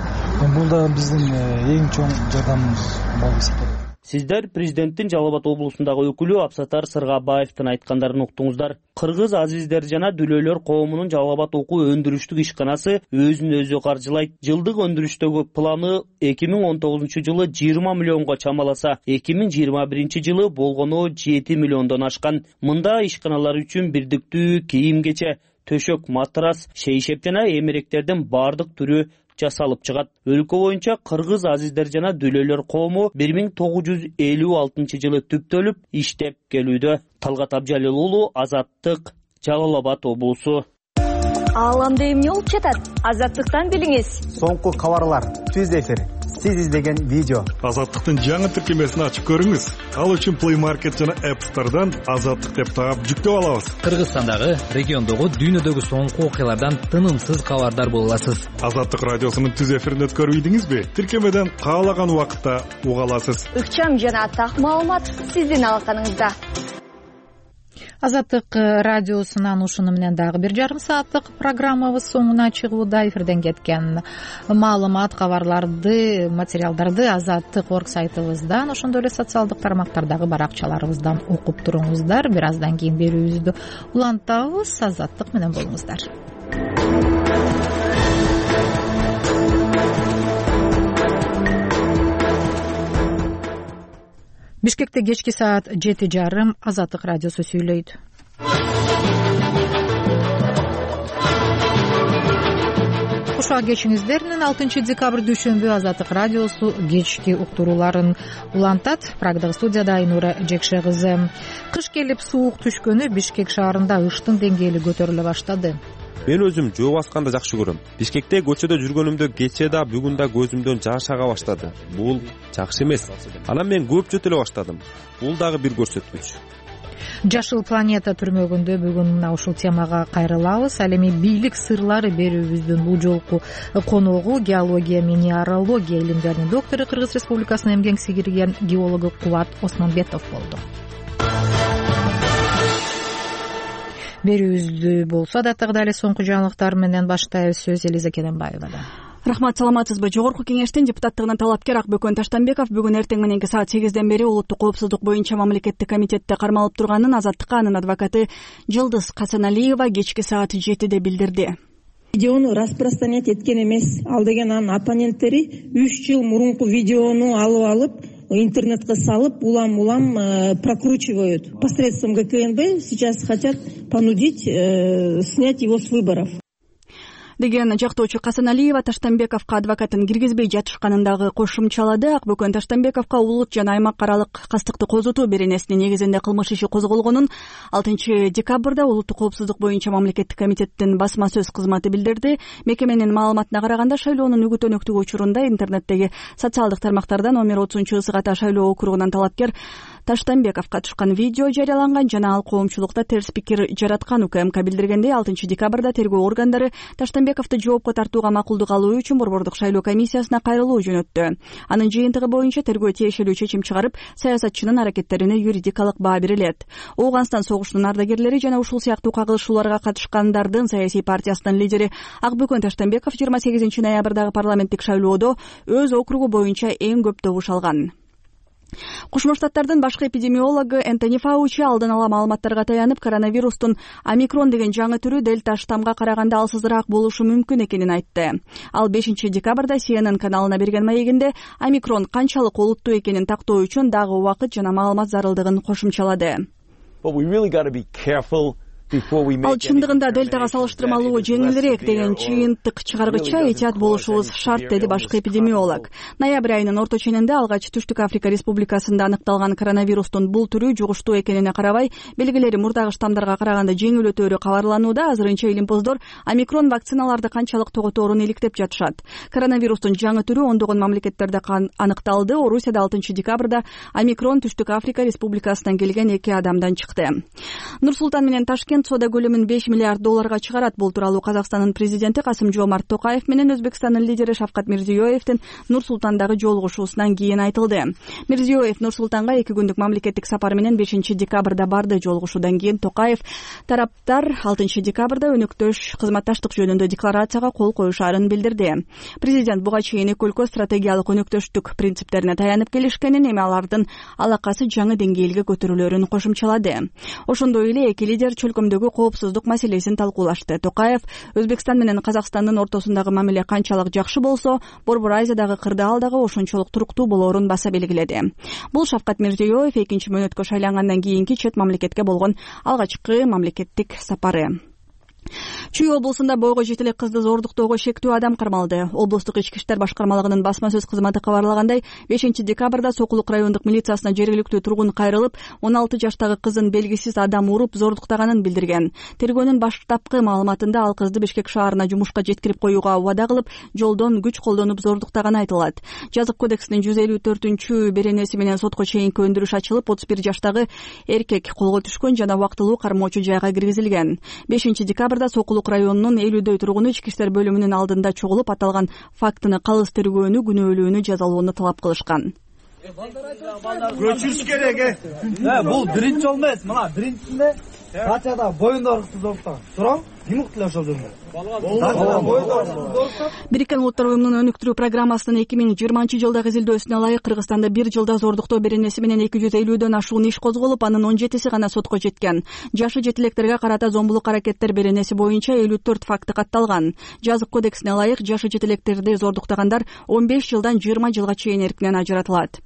Бул да биздин эң чоң жардамыбыз болуп эсептелет. Сиздер президенттин Жалал Абад облусундагы өкүлү Абсатар Сыргабаевдин айткандарын уктуңуздар. Кыргыз азиздер жана дүлөөлөр коомунун Жалал Абад окуу өндүрүштүк ишканасы өзүн өзү каржылайт. Жылдык өндүрүштөгү планы эки миң он тогузунчу жылы жыйырма миллионго чамаласа, эки миң жыйырма биринчи жылы болгону жети миллиондон ашкан. Мында ишканалар үчүн бирдиктүү кийим-кече, төшөк, матрас, шейшеп жана эмеректердин бардык түрү жасалып чыгат. Өлкө боюнча кыргыз азиздер жана дүлөөлөр коому бир миң тогуз жүз элүү алтынчы жылы түптөлүп иштеп келүүдө. Талгат Абжалил уулу, Азаттык, Жалал Абад облусу. Ааламда эмне болуп жатат? Азаттыктан билиңиз. Соңку кабарлар, түз эфир, сиз издеген видео. Азаттыктын жаңы тиркемесин ачып көрүңүз. Ал үчүн Play Market жана App Store'дан Азаттык деп таап жүктөп алабыз. Кыргызстандагы, региондогу, дүйнөдөгү соңку окуялардан тынымсыз кабардар боло аласыз. Азаттык радиосунун түз эфирин өткөрүп ийдиңизби? Тиркемеден каалаган убакытта уга аласыз. Ыкчам жана так маалымат сиздин алаканыңызда. Азаттык радиосунан ушуну менен дагы бир жарым сааттык программабыз соңуна чыгууда. Эфирден кеткен маалымат, кабарларды, материалдарды Азаттык орг сайтыбыздан, ошондой эле социалдык тармактардагы баракчаларыбыздан окуп туруңуздар. Бир аздан кийин берүүбүздү улантабыз. Азаттык менен болуңуздар. Бишкекте кечки саат жети жарым. Азаттык радиосу сүйлөйт. Кушак кечиңиздер менен алтынчы декабрь дүйшөмбү Азаттык радиосу кечки уктурууларын улантат. Прагдагы студияда Айнура Жекше кызы. Кыш келип суук түшкөнү Бишкек шаарында ыштын деңгээли көтөрүлө баштады. Мен өзүм жөө басканды жакшы көрөм. Бишкекте көчөдө жүргөнүмдө кечээ да бүгүн да көзүмдөн жаш ага баштады. Бул жакшы эмес. Анан мен көп жөтөлө баштадым. Бул дагы бир көрсөткүч. Жашыл планета түрмөгүндө бүгүн мына ушул темага кайрылабыз. Ал эми бийлик сырлары берүүбүздүн бул жолку коногу геология, минералогия илимдеринин доктору, Кыргыз Республикасынын эмгек сиңирген геологу Кубат Осмонбетов болду. Берүүбүздү болсо даттагы эле соңку жаңылыктар менен баштайбыз. Сөз Элиза Керенбаевада. Рахмат, саламатсызбы? Жогорку кеңештин депутаттыгына талапкер Акбөкөн Таштанбеков бүгүн эртең мененки саат сегизден бери улуттук коопсуздук боюнча мамлекеттик комитетте кармалып турганын Азаттыкка анын адвокаты Жылдыз Касаналиева кечки саат жетиде билдирди. Видеону распространять эткен эмес. Ал деген анын оппоненттери үч жыл мурунку видеону алып алып интернетке салып, улам-улам э, прокручивают. Посредством ГКНБ сейчас хотят понудить э, снять его с выборов. Деген жактоочу Касаналиева Таштанбековго адвокатын киргизбей жатышканындагы кошумчалады. Акбөкөн Таштанбековго улут жана аймак аралык кастыкты козутуу беренесинин негизинде кылмыш иши козголгонун алтынчы декабрда улуттук коопсуздук боюнча мамлекеттик комитеттин басма сөз кызматы билдирди. Мекеменин маалыматына караганда шайлоонун үгүт-өнөктүгү учурунда интернеттеги социалдык тармактардан он бир отузунчу ысык ата шайлоо округунан талапкер Таштанбеков катышкан видео жарыяланган жана ал коомчулукта терс пикир жараткан. УКМК билдиргендей, алтынчы декабрда тергөө органдары Таштанбековду жоопко тартууга макулдук алуу үчүн борбордук шайлоо комиссиясына кайрылуу жөнөттү. Анын жыйынтыгы боюнча тергөө тиешелүү чечим чыгарып, саясатчынын аракеттерине юридикалык баа берилет. Ооганстан согушунун ардагерлери жана ушул сыяктуу кагылышууларга катышкандардын саясий партиясынын лидери Акбөкөн Таштанбеков жыйырма сегизинчи ноябрдагы парламенттик шайлоодо өз округу боюнча эң көп добуш алган. Кошмо Штаттардын башкы эпидемиологу Энтони Фаучи алдын ала маалыматтарга таянып, коронавирустун омикрон деген жаңы түрү дельта штамга караганда алсызыраак болушу мүмкүн экенин айтты. Ал бешинчи декабрда Си Эн Эн каналына берген маегинде омикрон канчалык олуттуу экенин тактоо үчүн дагы убакыт жана маалымат зарылдыгын кошумчалады. Ал чындыгында дельтага салыштырмалуу жеңилирээк деген чыйынтык чыгаргыча этият болушубуз шарт, деди башкы эпидемиолог. Ноябрь айынын орто ченинде алгач Түштүк Африка Республикасында аныкталган коронавирустун бул түрү жугуштуу экенине карабай, белгилери мурдагы штамдарга караганда жеңил өтөөрү кабарланууда. Азырынча илимпоздор омикрон вакциналарды канчалык тоготорун иликтеп жатышат. Коронавирустун жаңы түрү ондогон мамлекеттерде аныкталды. Орусияда алтынчы декабрда омикрон Түштүк Африка Республикасынан келген эки адамдан чыкты. Нур-Султан менен Ташкент соода көлөмүн беш миллиард долларга чыгарат. Бул тууралуу Казакстандын президенти Касым-Жомарт Токаев менен Өзбекстандын лидери Шавкат Мирзиёевдин Нур-Султандагы жолугушуусунан кийин айтылды. Мирзиёев Нур-Султанга эки күндүк мамлекеттик сапар менен бешинчи декабрда барды. Жолугушуудан кийин Токаев тараптар алтынчы декабрда өнөктөш кызматташтык жөнүндө декларацияга кол коюшаарын билдирди. Президент буга чейин эки өлкө стратегиялык өнөктөштүк принциптерине таянып келишкенин, эми алардын алакасы жаңы деңгээлге көтөрүлөөрүн кошумчалады. Ошондой эле эки лидер чөлкөмдөгү коопсуздук маселесин талкуулашты. Токаев Өзбекстан менен Казакстандын ортосундагы мамиле канчалык жакшы болсо, Борбор Азиядагы кырдаал дагы ошончолук туруктуу болоорун баса белгиледи. Бул Шавкат Мирзиёев экинчи мөөнөткө шайлангандан кийинки чет мамлекетке болгон алгачкы мамлекеттик сапары. Чүй облусунда бойго жете элек кызды зордуктоого шектүү адам кармалды. Облустук ички иштер башкармалыгынын басма сөз кызматы кабарлагандай, бешинчи декабрда Сокулук райондук милициясына жергиликтүү тургун кайрылып, он алты жаштагы кызын белгисиз адам уруп зордуктаганын билдирген. Тергөөнүн баштапкы маалыматында ал кызды Бишкек шаарына жумушка жеткирип коюуга убада кылып, жолдон күч колдонуп зордуктаганы айтылат. Жазык кодексинин жүз элүү төртүнчү беренеси менен сотко чейинки өндүрүш ачылып, отуз бир жаштагы эркек колго түшкөн жана убактылуу кармоочу жайга киргизилген. бешинчи декабрда Сокулук районунун элүүдөй тургуну ички иштер бөлүмүнүн алдында чогулуп, аталган фактыны калыс тергөөнү, күнөөлүүнү жазалоону талап кылышкан. Көчүрүш керек, э. Бул биринчи жол эмес, мына биринчисинде качада боюнда ыркты зордуктаган. Турам, ким уктулар ошол жерде? Бириккен Улуттар уюмунун өнүктүрүү программасынын эки миң жыйырманчы жылдагы изилдөөсүнө ылайык Кыргызстанда бир жылда зордуктоо беренеси менен эки жүз элүүдөн ашуун иш козголуп, анын он жетиси гана сотко жеткен. Жашы жетилектерге карата зомбулук аракеттер беренеси боюнча элүү төрт факты катталган. Жазык кодексине ылайык жашы жетилектерди зордуктагандар он беш жылдан жыйырма жылга чейин эркинен ажыратылат.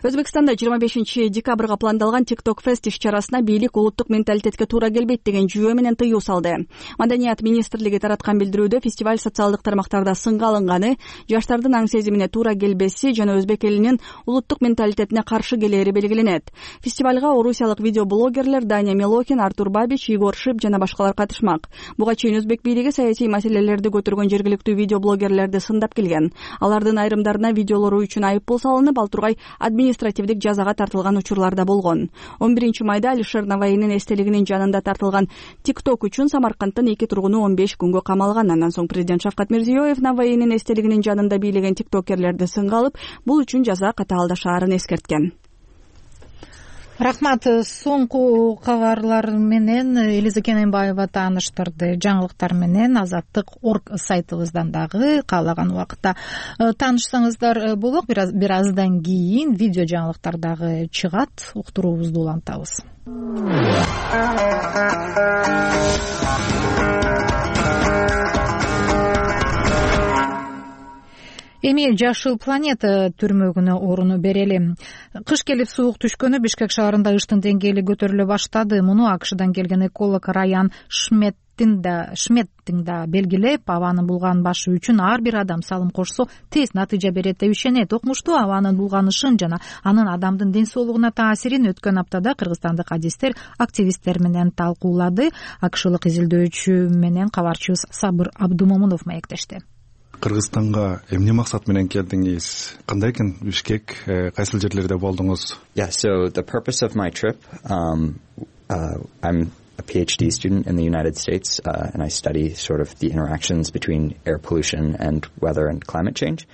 Өзбекстанда жыйырма бешинчи декабрга пландалган TikTok Fest иш-чарасына бийлик улуттук менталитетке туура келбейт деген жүйө менен тыюу салды. Маданият министрлиги тараткан билдирүүдө фестиваль социалдык тармактарда сынга алынганы, жаштардын аң сезимине туура келбеси жана өзбек элинин улуттук менталитетине каршы келери белгиленет. Фестивалга орусиялык видеоблогерлер Даня Милохин, Артур Бабич, Егор Шип жана башкалар катышмак. Буга чейин өзбек бийлиги саясий маселелерди көтөргөн жергиликтүү видеоблогерлерди сындап келген. Алардын айрымдарына видеолору үчүн айып пул салынып, ал тургай административдик жазага тартылган учурлар да болгон. он биринчи майда Алишер Наваинин эстелигинин жанында тартылган TikTok үчүн Самаркандтын эки тургуну он беш күнгө камалган. Андан соң президент Шавкат Мирзиёев Наваинин эстелигинин жанында бийлеген тиктокерлерди сынга алып, бул үчүн жаза катаалдашаарын эскерткен. Рахмат. Соңку кабарлар менен Элиза Кененбаева тааныштырды. Жаңылыктар менен азаттык точка орг сайтыбыздан дагы каалаган убакытта таанышсаңыздар болот. Бир аздан кийин видео жаңылыктар дагы чыгат. Уктуруубузду улантабыз. Эми Жашыл планета түрмөгүнө орун берели. Кыш келип суук түшкөнү Бишкек шаарында ыштын деңгээли көтөрүлө баштады. Муну АКШдан келген эколог Раян Шметтин да Шметтин да белгилеп, абанын булган башы үчүн ар бир адам салым кошсо тез натыйжа берет деп ишенет. Окмуштуу абанын булганышын жана анын адамдын ден соолугуна таасирин өткөн аптада кыргызстандык адистер активисттер менен талкуулады. АКШлык изилдөөчү менен кабарчыбыз Сабыр Абдумомунов маектешти. Кыргызстанга эмне максат менен келдиңиз? Кандай экен Бишкек? Кайсыл жерлерде болдуңуз? Yeah, so the purpose of my trip, um, uh, I'm a PhD student in the United States, uh, and I study sort of the interactions between air pollution and weather and climate change.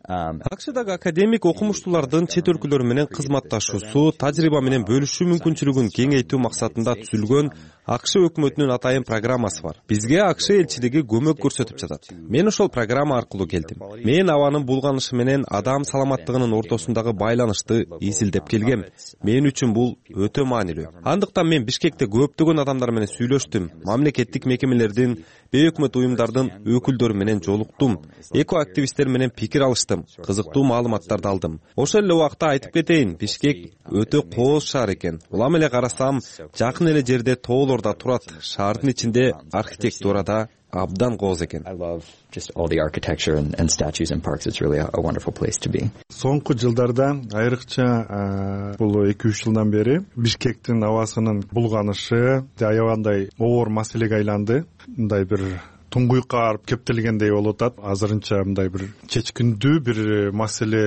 АКШдагы академик окумуштуулардын чет өлкөлөр менен кызматташуусу, тажрыйба менен бөлүшүү мүмкүнчүлүгүн кеңейтүү максатында түзүлгөн АКШ өкмөтүнүн атайын программасы бар. Бизге АКШ элчилиги көмөк көрсөтүп жатат. Мен ошол программа аркылуу келдим. Мен абанын булганышы менен адам саламаттыгынын ортосундагы байланышты изилдеп келгем. Мен үчүн бул өтө маанилүү. Андыктан мен Бишкекте көптөгөн адамдар менен сүйлөштүм. Мамлекеттик мекемелердин, бейөкмөт уюмдардын өкүлдөрү менен жолуктум. Эко активисттер менен пикир алыштым. Кызыктуу маалыматтарды алдым. Ошол эле убакта айтып кетейин, Бишкек өтө кооз шаар экен. Улам эле карасам, жакын эле жерде тоолордо турат. Шаардын ичинде архитектурада абдан кооз экен. I love just all the architecture and, and statues and parks. It's really a, a wonderful place to be. Соңку жылдарда айрыкча бул эки үч жылдан бери Бишкектин абасынын булганышы аябандай оор маселеге айланды. Мындай бир туңгуйукка барып кептелгендей болуп атат. Азырынча мындай бир чечкиндүү бир маселе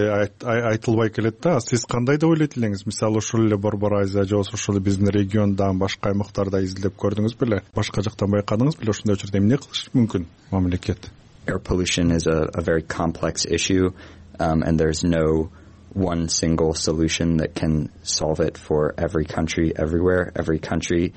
айтылбай келет да. Сиз кандай деп ойлойт элеңиз? Мисалы ушул эле Борбор Азия же ошол биздин региондагы башка аймактарда изилдеп көрдүңүз беле? Башка жактан байкадыңыз беле? Ушундай учурда эмне кылыш мүмкүн мамлекет? Air pollution is a, a very complex issue, um, and there's no one single solution that can solve it for every country, everywhere. Every country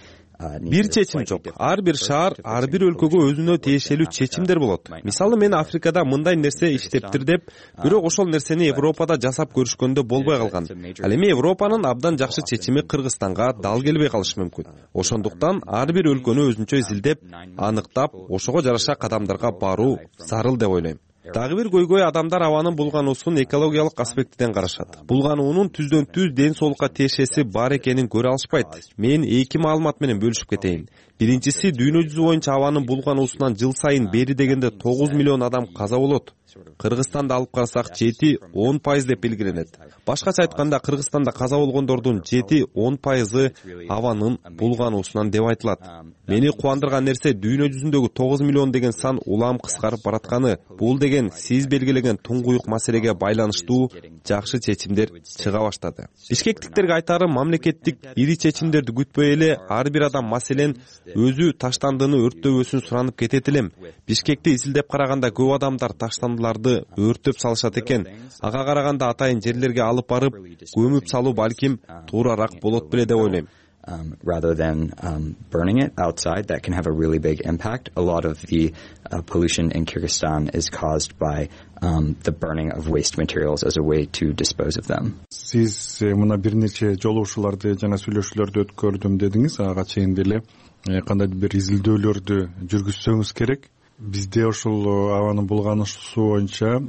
Бир чечим жок. Ар бир шаар, ар бир өлкөгө өзүнө тиешелүү чечимдер болот. Мисалы мен Африкада мындай нерсе иштептир деп, бирок ошол нерсени Европада жасап көрүшкөндө болбой калган. Ал эми Европанын абдан жакшы чечими Кыргызстанга дал келбей калышы мүмкүн. Ошондуктан ар бир өлкөнү өзүнчө изилдеп, аныктап, ошого жараша кадамдарга баруу зарыл деп ойлойм. Дагы бир көйгөй адамдар абанын булгануусун экологиялык аспектиден карашат. Булгануунун түздөн түз ден соолукка тиешеси бар экенин көрө алышпайт. Мен эки маалымат менен бөлүшүп кетейин. Биринчиси, дүйнө жүзү боюнча абанын булгануусунан жыл сайын бери дегенде тогуз миллион адам каза болот. Кыргызстанды алып карасак жети он пайыз деп белгиленет. Башкача айтканда, Кыргызстанда каза болгондордун жети он пайызы абанын булгануусунан деп айтылат. Мени кубандырган нерсе дүйнө жүзүндөгү тогуз миллион деген сан улам кыскарып баратканы. Бул деген сиз белгилеген туңгуюк маселеге байланыштуу жакшы чечимдер чыга баштады. Бишкектиктерге айтарым, мамлекеттик ири чечимдерди күтпөй эле ар бир адам, маселен, өзү таштандыны өрттөбөсүн суранып кетет элем. Бишкекти изилдеп караганда көп адамдар таштандыларды өрттөп салышат экен. Ага караганда атайын жерлерге алып барып көмүп салуу балким туурараак болот беле деп ойлойм. Um, rather than um, burning it outside, that can have a really big impact. A lot of the uh, pollution in Kyrgyzstan is caused by um, the burning of waste materials as a way to dispose of them. Siz muna bir neçe жолугушууларды жана сүйлөшүүлөрдү өткөрдүм дедиңиз. Ага чейин деле кандайдыр бир изилдөөлөрдү жүргүзсөңүз керек. Бизде ошол абанын булгануусу боюнча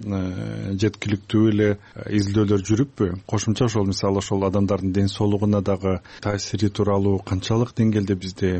жеткиликтүү эле изилдөөлөр жүрүппү? Кошумча ошол мисалы ошол адамдардын ден соолугуна дагы таасири тууралуу канчалык деңгээлде бизде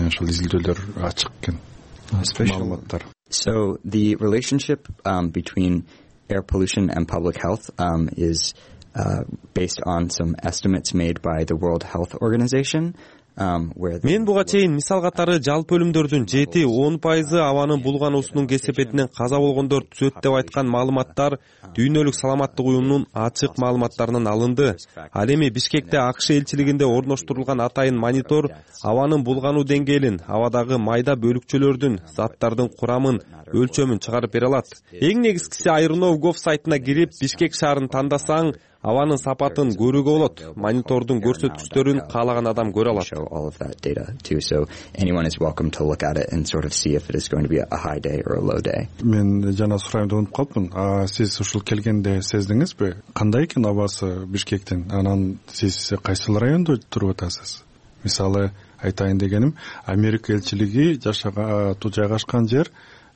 ошол изилдөөлөр ачык экен? Маалыматтар. So the relationship um, between air pollution and public health um, is uh, based on some estimates made by the World Health Organization. Мен буга чейин мисал катары жалпы өлүмдөрдүн жети он пайызы абанын булгануусунун кесепетинен каза болгондор түзөт деп айткан маалыматтар Дүйнөлүк саламаттык уюмунун ачык маалыматтарынан алынды. Ал эми Бишкекте АКШ элчилигинде орноштурулган атайын монитор абанын булгануу деңгээлин, абадагы майда бөлүкчөлөрдүн, заттардын курамын, өлчөмүн чыгарып бере алат. Эң негизгиси айрнов точка гов сайтына кирип Бишкек шаарын тандасаң, абанын сапатын көрүүгө болот. Монитордун көрсөткүчтөрүн каалаган адам көрө алат. All of that data too, so anyone is welcome to look at it and sort of see if it is going to be a high day or a low day. Мен жана сурайм деп унутуп калыпмын. А сиз ушул келгенде сездиңизби? Кандай экен абасы Бишкектин? Анан сиз кайсыл райондо туруп атасыз? Мисалы айтайын дегеним, Америка элчилиги жашаган жайгашкан жер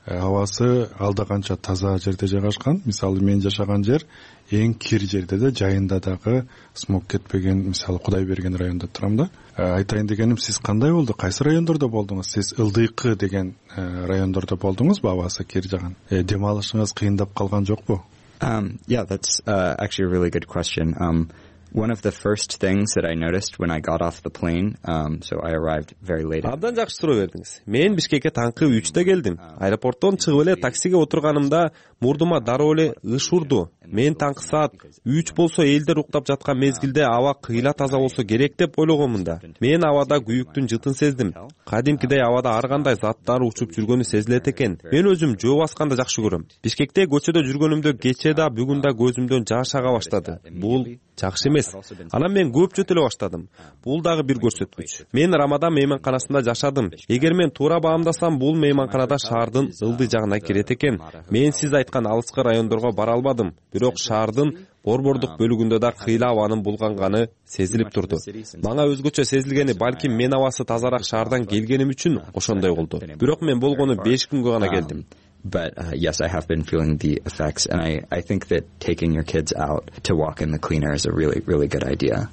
абасы алда канча таза жерде жайгашкан. Мисалы мен жашаган жер эң кир жерде да, жайында дагы смог кетпеген, мисалы Кудай берген районда турам да. Айтайын дегеним, сиз кандай болду? Кайсы райондордо болдуңуз? Сиз Ылдыйкы деген райондордо болдуңузбу? Абасы кир жаган. Дем алышыңыз кыйындап калган жокпу? Um, yeah, that's uh, actually a really good question. Um, One of the first things that I noticed when I got off the plane, um, so I arrived very late. Абдан жакшы суроо бердиңиз. Мен Бишкекке таңкы үчтө келдим. Аэропорттон чыгып эле таксиге отурганымда мурдума дароо эле ыш урду. Мен таңкы саат үч болсо элдер уктап жаткан мезгилде аба кыйла таза болсо керек деп ойлогонмун да. Мен абада күйүктүн жытын сездим. Кадимкидей абада ар кандай заттар учуп жүргөнү сезилет экен. Мен өзүм жөө басканды жакшы көрөм. Бишкекте көчөдө жүргөнүмдө кечээ да бүгүн да көзүмдөн жаш ага баштады. Бул жакшы эмес. Анан мен көп жөтөлө баштадым. Бул дагы бир көрсөткүч. Мен Рамадан мейманканасында жашадым. Эгер мен туура баамдасам, бул мейманканада шаардын ылдый жагына кирет экен. Мен сиз айткан алыскы райондорго бара албадым. Бирок шаардын борбордук бөлүгүндө да кыйла абанын булганганы сезилип турду. Мага өзгөчө сезилгени, балким мен абасы тазараак шаардан келгеним үчүн ошондой болду. Бирок мен болгону беш күнгө гана келдим. But uh, yes, I have been feeling the effects, and I, I think that taking your kids out to walk in the cleaner is a really, really good idea.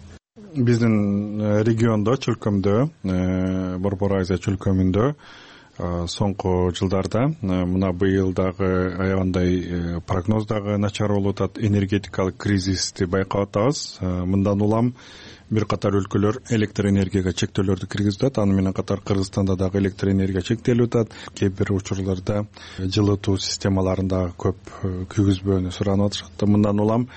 Биздин региондо, чөлкөмдө, Борбор Азия чөлкөмүндө соңку жылдарда мына быйыл дагы аябандай прогноз дагы начар болуп атат, энергетикалык кризисти байкап атабыз. Мындан улам бир катар өлкөлөр электр энергияга чектөөлөрдү киргизип атат. Аны менен катар Кыргызстанда дагы электр энергия чектелип атат. Кээ бир учурларда жылытуу системаларында көп күйгүзбөөнү суранып атышат. Мындан улам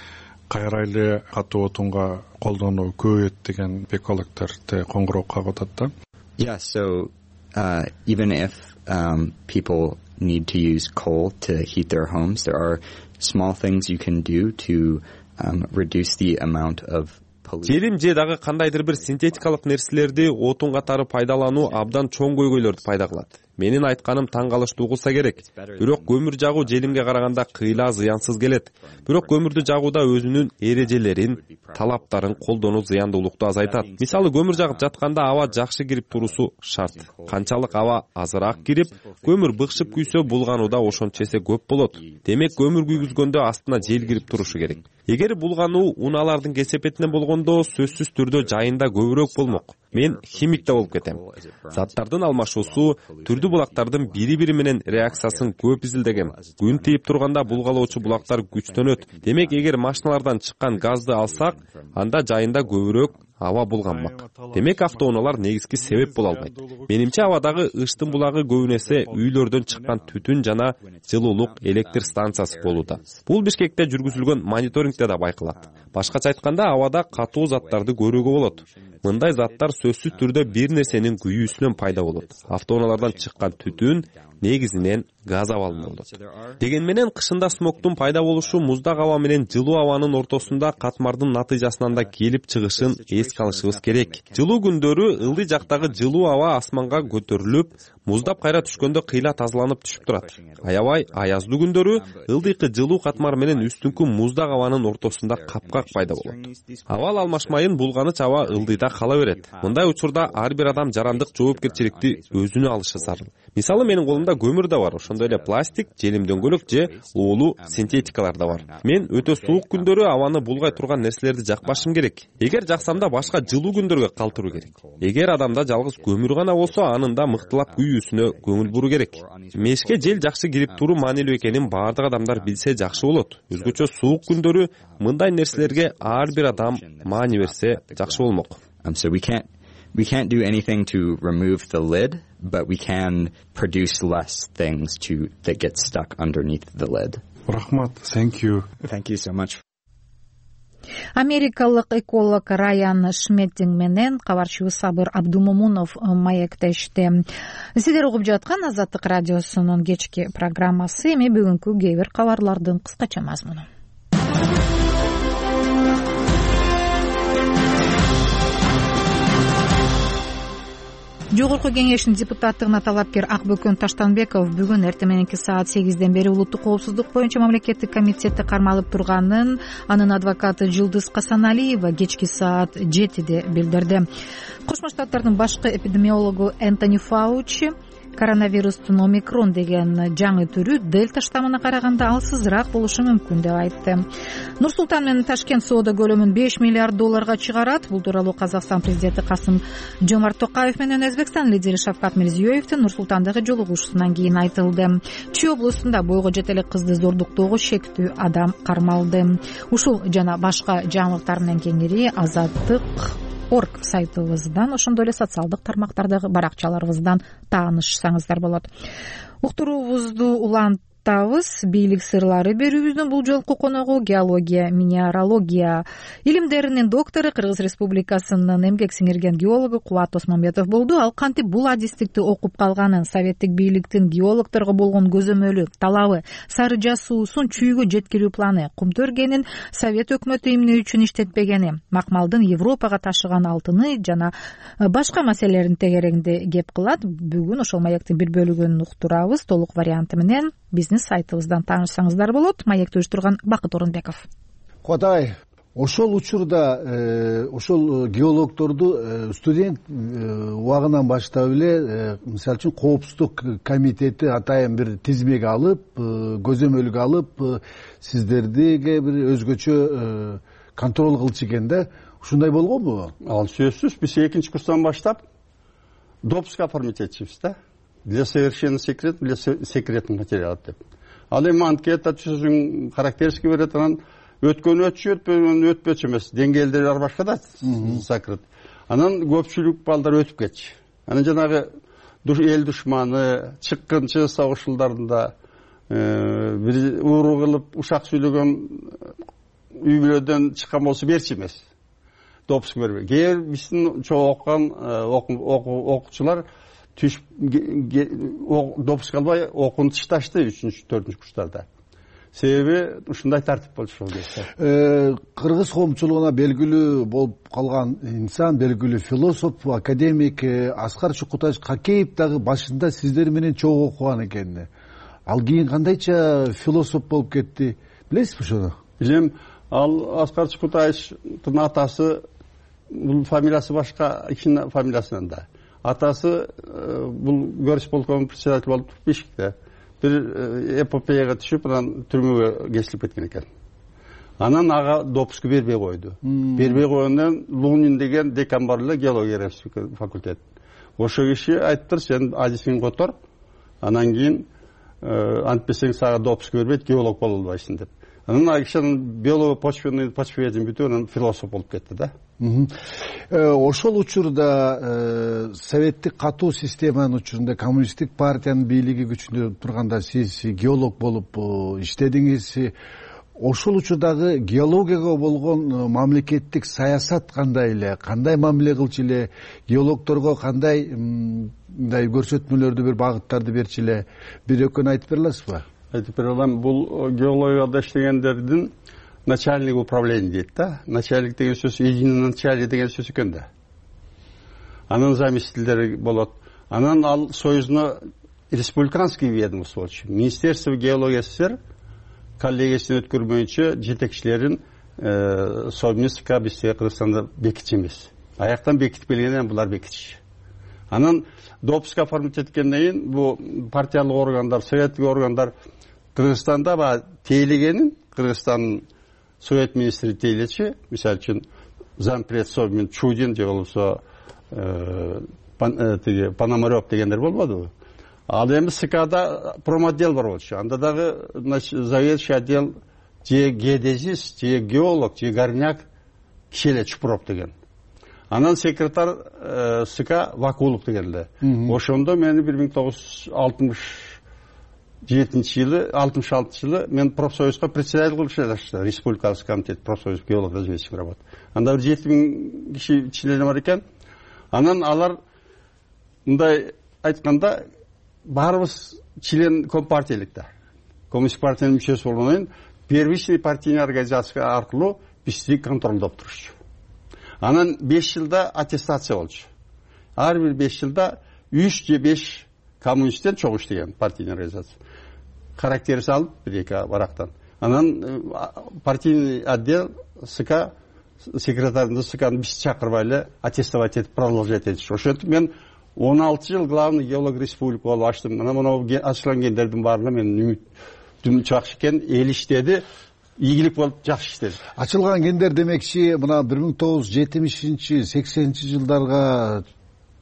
кайра эле катуу отунга колдонуу көбөйөт деген экологдорду коңгуроо кагып атат да. Yeah, so uh, even if um, people need to use coal to heat their homes, there are small things you can do to um, reduce the amount of Желим же дагы кандайдыр бир синтетикалык нерселерди отун катары пайдалануу абдан чоң көйгөйлөрдү пайда кылат. менин айтканым таң калыштуу угулса керек. Бирок көмүр жагуу желимге караганда кыйла зыянсыз келет. Бирок көмүрдү жагууда өзүнүн эрежелерин, талаптарын колдонуу зыяндуулукту азайтат. Мисалы, көмүр жагып жатканда аба жакшы кирип турусу шарт. Канчалык аба азыраак кирип, көмүр быкшып күйсө, булганууда ошончо эсе көп болот. Демек, көмүр күйгүзгөндө астына жел кирип турушу керек. Эгер булгануу унаалардын кесепетинен болгондо, сөзсүз түрдө жайында көбүрөөк болмок. Мен химик да болуп кетем. Заттардын алмашуусу, түрдүү булактардын бири-бири менен реакциясын көп изилдегем. Күн тийип турганда булгалоочу булактар күчтөнөт. Демек, эгер машиналардан чыккан газды алсак, анда жайында көбүрөөк аба булганмак. Демек, автоунаалар негизги себеп боло албайт. Менимче, абадагы ыштын булагы көбүнесе үйлөрдөн чыккан түтүн жана жылуулук электр станциясы болууда. Бул Бишкекте жүргүзүлгөн мониторингде да байкалат. Башкача айтканда, абада катуу заттарды көрүүгө болот. Мындай заттар сөзсүз түрдө бир нерсенин күйүүсүнөн пайда болот. Автоунаалардан чыккан түтүн негизинен газ абалынан болот. Деген менен кышында смогтун пайда болушу муздак аба менен жылуу абанын ортосунда катмардын натыйжасынан да келип чыгышын эске алышыбыз керек. Жылуу күндөрү ылдый жактагы жылуу аба асманга көтөрүлүп, муздап кайра түшкөндө кыйла тазаланып түшүп турат. Аябай аяздуу күндөрү ылдыйкы жылуу катмар менен үстүңкү муздак абанын ортосунда капкак пайда болот. Абал алмашмайын булганыч аба ылдыйда кала берет. Мындай учурда ар бир адам жарандык жоопкерчиликти өзүнө алышы зарыл. Мисалы, менин колумда көмүр да бар, ошондой эле пластик, желим дөңгөлөк же уулуу синтетикалар да бар. Мен өтө суук күндөрү абаны булгай турган нерселерди жакпашым керек. Эгер жаксам да башка жылуу күндөргө калтыруу керек. Эгер адамда жалгыз көмүр гана болсо, анын да мыктылап күйүүсүнө көңүл буруу керек. Мешке жел жакшы кирип туруу маанилүү экенин баардык адамдар билсе жакшы болот. Өзгөчө суук күндөрү мындай нерселерге ар бир адам маани берсе жакшы болмок. So we can't we can't do anything to remove the lid, but we can produce less things to that get stuck underneath the lid. Рахмат, thank you. Thank you so much. Америкалык эколог Райан Шметтинг менен кабарчыбыз Сабыр Абдумомунов маектешти. Сиздер угуп жаткан Азаттык радиосунун кечки программасы. Эми бүгүнкү кээ бир кабарлардын кыскача мазмуну. Жогорку кеңештин депутаттыгына талапкер Акбөкөн Таштанбеков бүгүн эртең мененки саат сегизден бери улуттук коопсуздук боюнча мамлекеттик комитетти кармалып турганын анын адвокаты Жылдыз Касаналиева кечки саат жетиде билдирди. Кошмо Штаттардын башкы эпидемиологу Энтони Фаучи коронавирустун омикрон деген жаңы түрү дельта штаммына караганда алсызыраак болушу мүмкүн деп айтты. Нур Султан менен Ташкент соода көлөмүн беш миллиард долларга чыгарат. Бул тууралуу Казакстан президенти Касым Жомарт Токаев менен Өзбекстан лидери Шавкат Мирзиёевдин Нур Султандагы жолугушуусунан кийин айтылды. Чүй облусунда бойго жете элек кызды зордуктоого шектүү адам кармалды. Ушул жана башка жаңылыктар менен кеңири Азаттык орг сайтыбыздан, ошондой эле социалдык тармактардагы баракчаларыбыздан таанышсаңыздар болот. Уктуруубузду улантабыз. Бийлик сырлары берүүбүздүн бул жолку коногу геология, минералогия илимдеринин доктору, Кыргыз Республикасынын эмгек сиңирген геологу Кубат Осмонбетов болду. Ал кантип бул адистикти окуп калганын, советтик бийликтин геологторго болгон көзөмөлү, талабы, сары жасуусун чүйгө жеткирүү планы, кумту өргенин Совет өкмөтү эмне үчүн иштетпегени, макмалдын Европага ташыган алтыны жана башка маселелерин тегереңде кеп кылат. Бүгүн ошол маектин бир бөлүгүн уктурабыз. Толук варианты менен биздин сайтыбыздан таанышсаңыздар болот. Маекти уюштурган Бакыт Орунбеков. Куатай, ошол учурда ошол геологторду студент убагынан баштап эле, мисалы үчүн коопсуздук комитети атайын бир тизмеге алып, көзөмөлгө алып, сиздердиге бир өзгөчө контроль кылчу экен да. Ушундай болгонбу? Ал сөзсүз, биз экинчи курстан баштап допуск оформить этчүбүз да. Для совершенно секрет, для секретных материалов деп. Ал эми анкета түзүң характеристика берет, анан өткөн өтчү, өтпөгөн өтпөчү эмес. Деңгээлдери бар башка да закрыт. Анан көпчүлүк балдар өтүп кетчү. Анан жанагы эл душманы, чыккынчы согуш жылдарында бир ууру кылып ушак сүйлөгөн үй бүлөдөн чыккан болсо берчи эмес. Допуск бербей. Кээ биздин чоң окуган окуучулар түш допуск албай окууну ташташты үчүнчү төртүнчү курстарда. себеби ушундай тартип болчу ошол кезде. Кыргыз коомчулугуна белгилүү болуп калган инсан, белгилүү философ, академик Аскар Чукутаевич Какеев дагы башында сиздер менен чогуу окуган экен. Ал кийин кандайча философ болуп кетти, билесизби ошону? Билем. Ал Аскар Чукутаевичтин атасы, бул фамилиясы башка, ичин фамилиясынан да. Атасы бул горисполком председатель болуп Бишкекте. Бир эпопеяга түшүп, анан түрмөгө кесилип кеткен экен. Анан ага допуску бербей койду. Бербей койгондон Лунин деген декан бар эле, геология факультет. Ошо киши айттыр, сен адисиңди котор, анан кийин антпесең сага допуску бербейт, геолог боло албайсың деп. Анан ал киши биолого-почвенный почведен бүтүп, анан философ болуп кетти да. Ошол учурда советтик катуу системанын учурунда коммунисттик партиянын бийлиги күчүндө турганда сиз геолог болуп иштедиңиз. Ошол учурдагы геологияга болгон мамлекеттик саясат кандай эле, кандай мамиле кылчу эле, геологторго кандай мындай көрсөтмөлөрдү, бир багыттарды берчү эле, бир экөөнү айтып бере аласызбы? Айтып бере алам. Бул геологияда иштегендердин начальник управления дейт да. Начальник деген сөз единый начальник деген сөз экен да. Анын заместителдери болот. Анан ал союзно республиканский ведомство болчу. Министерство геологии СССР коллегиясын өткөрмөйүнчө жетекчилерин совместка бизде Кыргызстанда бекитчи эмес. Аяктан бекитип келгенден булар бекитчи. Анан допуск оформить эткенден кийин бу партиялык органдар, советтик органдар Кыргызстанда ба тейлегенин, Кыргызстандын совет министри тейлечи, мисалы үчүн зампред Собмин Чудин же болбосо Пономарев дегендер болбодубу? Ал эми СКда промотдел бар болчу. Анда дагы заведующий отдел же геодезист, же геолог, же горняк киши эле Чупуров деген. Анан секретарь СК Вакулов деген эле. Ошондо мени бир миң тогуз жүз алтымыш жетинчи жылы, алтымыш алтынчы жылы мен профсоюзга председатель кылып иштедим. Республикалык комитет профсоюз геолог разведчик работа. Анда бир жети миң киши члени бар экен. Анан алар мындай айтканда баарыбыз член компартиялык да. Коммунистик партиянын мүчөсү болгондон кийин первичный партийный организация аркылуу бизди контролдоп турушчу. Анан беш жылда аттестация болчу. Ар бир беш жылда үч же беш коммунисттен чогуу иштеген партийный организация. Характер салып бир-эки барактан. Анан партийный отдел СК секретарында СКны биз чакырбай эле аттестовать этип продолжать этиш. Ошентип мен он алты жыл главный геолог республика болуп ачтым. Анан мону ачылган кендердин баарына менин үмүтүм жакшы экен, эл иштеди. Ийгилик болуп жакшы иштеди. Ачылган кендер демекчи, мына бир миң тогуз жүз жетимишинчи сексенинчи жылдарга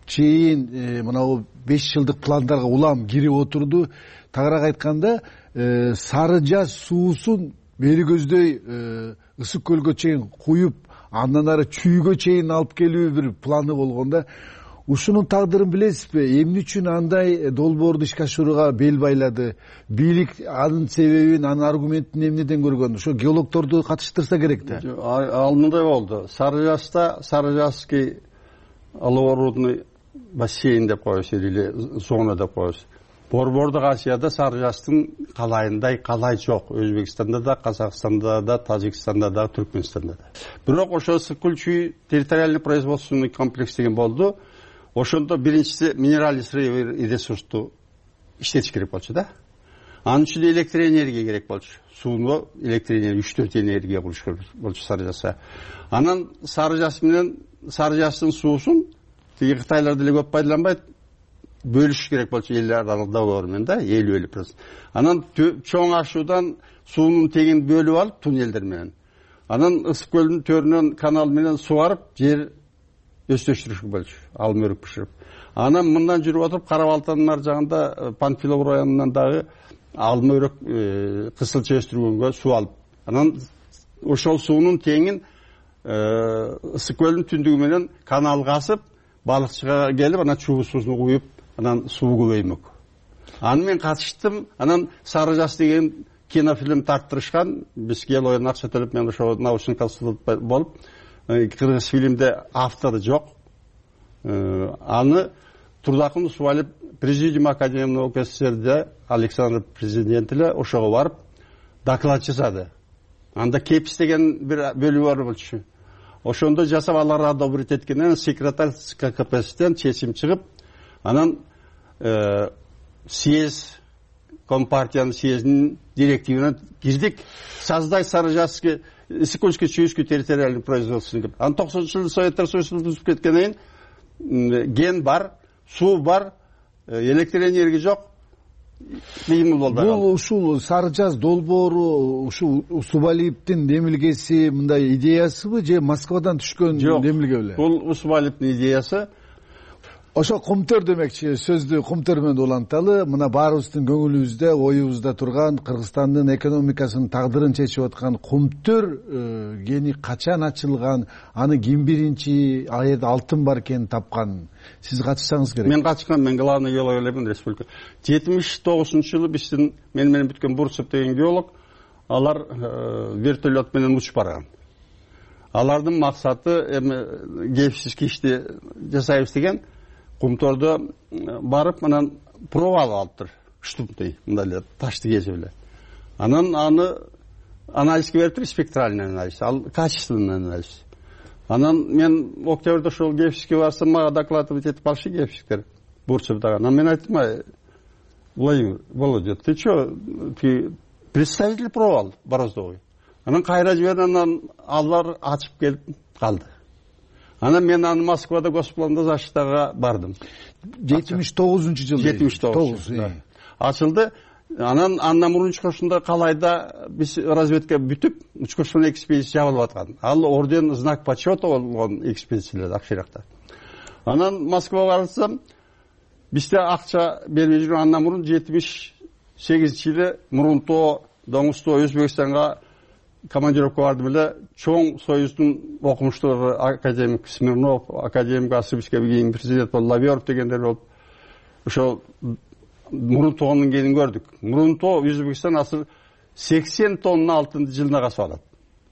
чейин мына беш жылдык пландарга улам кирип отурду. Тагыраак айтканда, Сары Жаз суусун бери көздөй Ысык көлгө чейин куюп, андан ары Чүйгө чейин алып келүү бир планы болгондо. Ушунун тагдырын билесизби? Эмне үчүн андай долбоорду ишке ашырууга бел байлады? Бийлик анын себебин, анын аргументин эмнеден көргөн? Ошо геологторду катыштырса керек да. Ал мындай болду. Сары Жазда Сарыжазский оловорудный бассейн деп коебуз или зона деп коебуз. Борбордук Азияда Сары Жаздын калайындай калай жок. Өзбекстанда да, Казакстанда да, Тажикстанда да, Түркмөнстанда да. Бирок ошо Ысык-Көл-Чүй территориальный производственный комплекс деген болду. Ошондо биринчиси минеральный сырьевой ресурсту иштетиш керек болчу да. Анын үчүн электроэнергия керек болчу. Сууну электроэнергия үч төрт энергия кылыш керек болчу Сары Жазга. Анан Сары Жаз менен Сары Жаздын суусун тиги Кытайлар деле көп пайдаланбайт, бөлүш керек болчу эл аралык договор менен да, элүү элүү процент. Анан чоң ашуудан суунун тегин бөлүп алып туннелдер менен. Анан Ысык көлдүн төрүнөн канал менен сугарып жер өстөштүрүш болчу, алым өрүк бышырып. Анан мындан жүрүп отуруп Кара Балтанын ар жагында Панфилов районунан дагы алым өрүк кысылча өстүргөнгө суу алып. Анан ошол суунун теңин Ысык көлдүн түндүгү менен канал касып, балыкчыга келип, анан чуу суусун куюп, анан суу көбөймөк. Аны мен катыштым. Анан Сары Жаз деген кинофильм тарттырышкан. Биз геологиядан акча төлөп, мен ошо научный консультант болуп, кыргыз фильмде автору жок. Аны Турдакын Усубалиев президиум Академия наук СССРде Александр президент эле ошого барып, доклад жасады. Анда кепс деген бир бөлүгү бар болчу. Ошондо жасап алар одобрить эткенден секретарь ККПСтен чечим чыгып, анан съезд, Компартиянын съездинин директивине кирдик. Создать Сарыжасский Сыкульский Чуйский территориальный производственный деп. Анан токсонунчу жылы Советтер Союзу бузуп кеткенден кийин ген бар, суу бар, электр энергия жок. Кыйын болду. Бул ушул Сарыжаз долбоору ушул Усубалиевдин демилгеси мындай идеясыбы же Москвадан түшкөн демилге беле? Бул Усубалиевдин идеясы. Ошо кумтөр демекчи, сөздү кумтөр менен уланталы. Мына баарыбыздын көңүлүбүздө, оюбузда турган Кыргызстандын экономикасынын тагдырын чечип аткан кумтөр кени качан ачылган, аны ким биринчи аерде алтын бар экенин тапкан? Сиз катышсаңыз керек. Мен катышкан, мен главный геолог элемин республика. жетимиш тогузунчу жылы биздин мен менен бүткөн Бурцев деген геолог, алар вертолет менен учуп барган. Алардын максаты эми кепсиз кишти жасайбыз деген. Кумтордо барып, анан проба алып алыптыр. Штумтый, мындай эле ташты кесип эле. Анан аны анализге бериптир, спектральный анализ, ал качественный анализ. Анан мен октябрда ошол кепсизге барсам, мага докладывать этип алышы кепсиздер. Бурцевдагы. Анан мен айттым, Владимир, Володя, ты чё, ты представитель проба ал, Бороздовый. Анан кайра жиберди, анан алар ачып келип калды. Анан мен аны Москвада госпланда защитага бардым. жетимиш тогузунчу жылы. жетимиш тогуз. Ачылды. Анан андан мурун учкошунда Калайда биз разведка бүтүп, учкошунун экспедиция жабылып аткан. Ал орден знак почета болгон экспедициялар Акширакта. Анан Москвага барсам, бизде акча бербей жүргөн. Андан мурун жетимиш сегизинчи жылы Мурунтоо, Доңузтоо, Өзбекстанга командировка бардым эле. Чоң Союздун окумуштуулары академик Смирнов, академик Асыбский, кийин президент болуп Лаверов дегендер болуп, ошол Мурунтоонун кенин көрдүк. Мурунтоо Өзбекстан азыр сексен тонна алтынды жылына касып алат.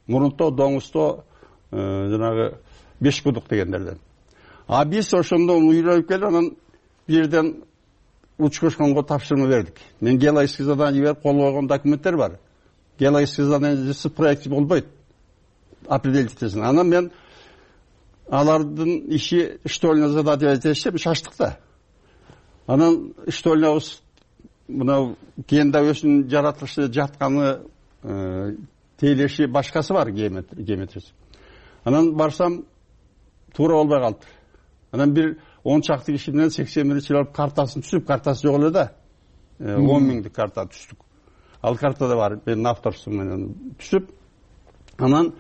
Мурунтоо, Доңузтоо, жанагы Бешкудук дегендерден. А биз ошондо уйланып келип, анан бирден учкошконго тапшырма бердик. Мен геологический задание берип кол койгон документтер бар. Геологический задание проект болбойт. Определить этесин. Анан мен алардын иши штольный задание этешип шаштык да. Анан штольнабыз мына кенде өзүнүн жаратылышы жатканы, тейлеши башкасы бар, геометриясы. Анан барсам туура болбой калды. Анан бир он чакты киши менен сексен биринчи жылы картасын түзүп, картасы жок эле да. он миңдик карта түздүк. Ал картада бар, мен авторсу менен түзүп, анан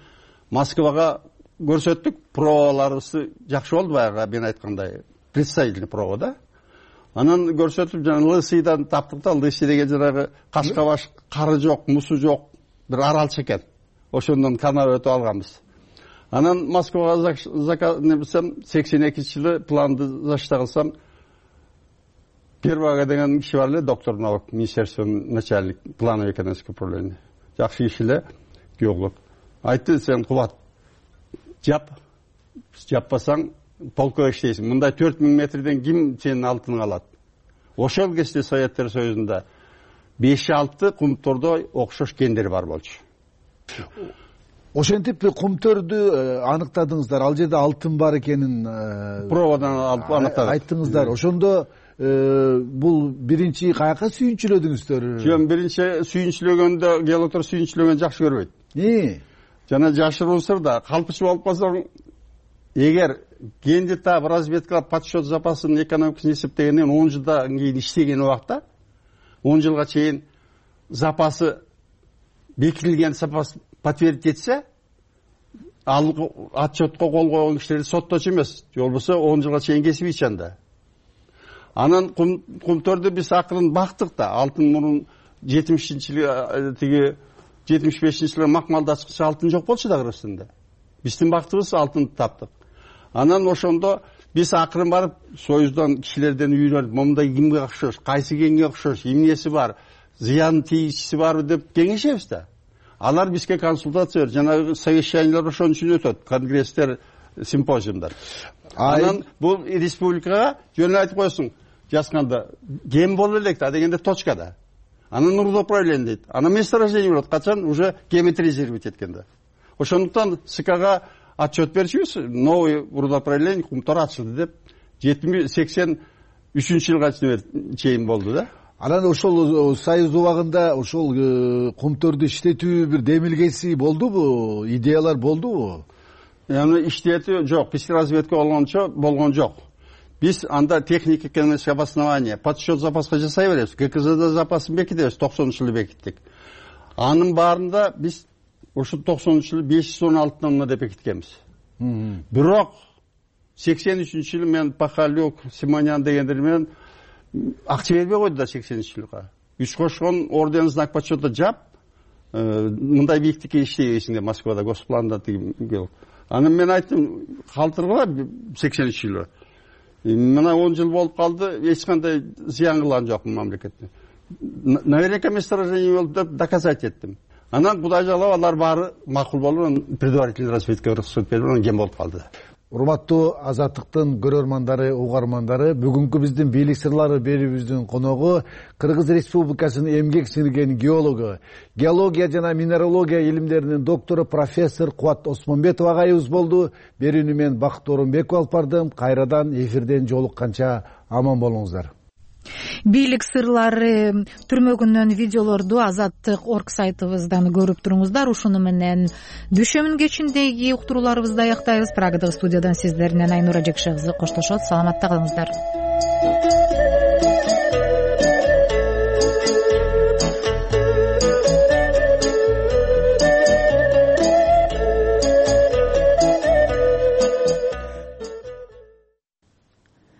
Москвага көрсөттүк, пробаларыбызды жакшы болду баягы мен айткандай, представительный проба да. Анан көрсөтүп, жана Лысыйдан таптык да, Лысый деген жанагы кашка баш, кары жок, мусу жок, бир аралчы экен. Ошондон канал өтүп алганбыз. Анан Москвага заказ небесем, сексен экинчи жылы планды зачта кылсам, Первага деген киши бар эле, доктор наук, министерствонун начальник, плановый экономическое управление. Жакшы киши эле, геолог. Айтты, сен кубат, жап, жаппасаң, полкога иштейсиң. Мындай төрт миң метрден ким сенин алтыныңы алат? Ошол кезде Советтер Союзунда беш алты кумтордо окшош кендер бар болчу. Ошентип кумтөрдү аныктадыңыздар, ал жерде алтын бар экенин пробадан аныктадык. Айттыңыздар. Ошондо бул биринчи каяка сүйүнчүлөдүңүздөр? Жөн биринчи сүйүнчүлөгөндө геологдор сүйүнчүлөгөн жакшы көрбөйт. Эмне? Жана жашыруун сырда калпычы болуп калсаң, эгер кенди таап разведкалап подсчет запасын экономикасын эсептегенден он жылдан кийин иштеген убакта, он жылга чейин запасы бекитилген запас подтвердить этсе, ал отчетко кол койгон кишилерди сотточу эмес, же болбосо он жылга чейин кесип ичанда. Анан кумтөрдү биз акырын бактык да, алтын мурун жетимишинчи жылы тиги жетимиш бешинчи жылы макмалдачкычы алтын жок болчу да Кыргызстанда. Биздин бактыбыз алтынды таптык. Анан ошондо биз акырын барып Союздан кишилерден үйрөнүп, момундай кимге окшош, кайсы кенге окшош, эмнеси бар, зыян тийгичиси барбы деп кеңешебиз да. Алар бизге консультация берип, жанагы совещаниялар ошон үчүн өтөт, конгресстер, симпозиумдар. Анан бул республикага жөн айтып койсуң, жазганда кем боло элек да дегенде точкада. анан рудоуправление дейт, анан месторождение болот качан уже геометризировать эткенде. Ошондуктан СКга отчет берчүбүз, новый рудоуправление кумтар ачылды деп жетимиш сексен үчүнчү жылга чейин болду да. Анан ошол союз убагында ошол кумтөрдү иштетүү бир демилгеси болдубу, идеялар болдубу? Аны иштетүү жок, пестроразведка болгончо болгон жок. Биз анда техника экономическое обоснование, подсчет запаска жасай беребиз. ГКЗда запасын бекитебиз, токсонунчу жылы бекиттик. Анын баарында биз ошо токсонунчу жылы беш жүз он алты тонна деп бекиткенбиз. Бирок сексен үчүнчү жылы мен Пахалюк, Симонян дегендер менен акча бербей койду да сексенинчи жылга. Үч кошкон орден знак почета жап, мындай бииктикке иштейбейсиң деп Москвада госпланда тиги. Анан мен айттым, калтыргыла сексенинчи жылы. Мына он жыл болуп калды, эч кандай зыян кылган жокмун мамлекетке. Наверняка месторождение болуп деп доказать эттим. Анан Кудай жалап алар баары макул болуп, предварительный разведка уруксат берип, анан кем болуп калды. Урматтуу Азаттыктын көрөрмандары, угармандары, бүгүнкү биздин бийлик сырлары берүүбүздүн коногу Кыргыз Республикасынын эмгек сиңирген геологу, геология жана минералогия илимдеринин доктору профессор Кубат Осмонбетов агайыбыз болду. Берүүнү мен Бакыт Оронбеков алып бардым. Кайрадан эфирден жолукканча аман болуңуздар. Бийлик сырлары түрмөгүнөн видеолорду Азаттык орг сайтыбыздан көрүп туруңуздар. Ушуну менен дүйшөмүн кечиндеги уктурууларыбызды аяктайбыз. Прагадагы студиядан сиздер менен Айнура Жекшекызы коштошот. Саламатта калыңыздар.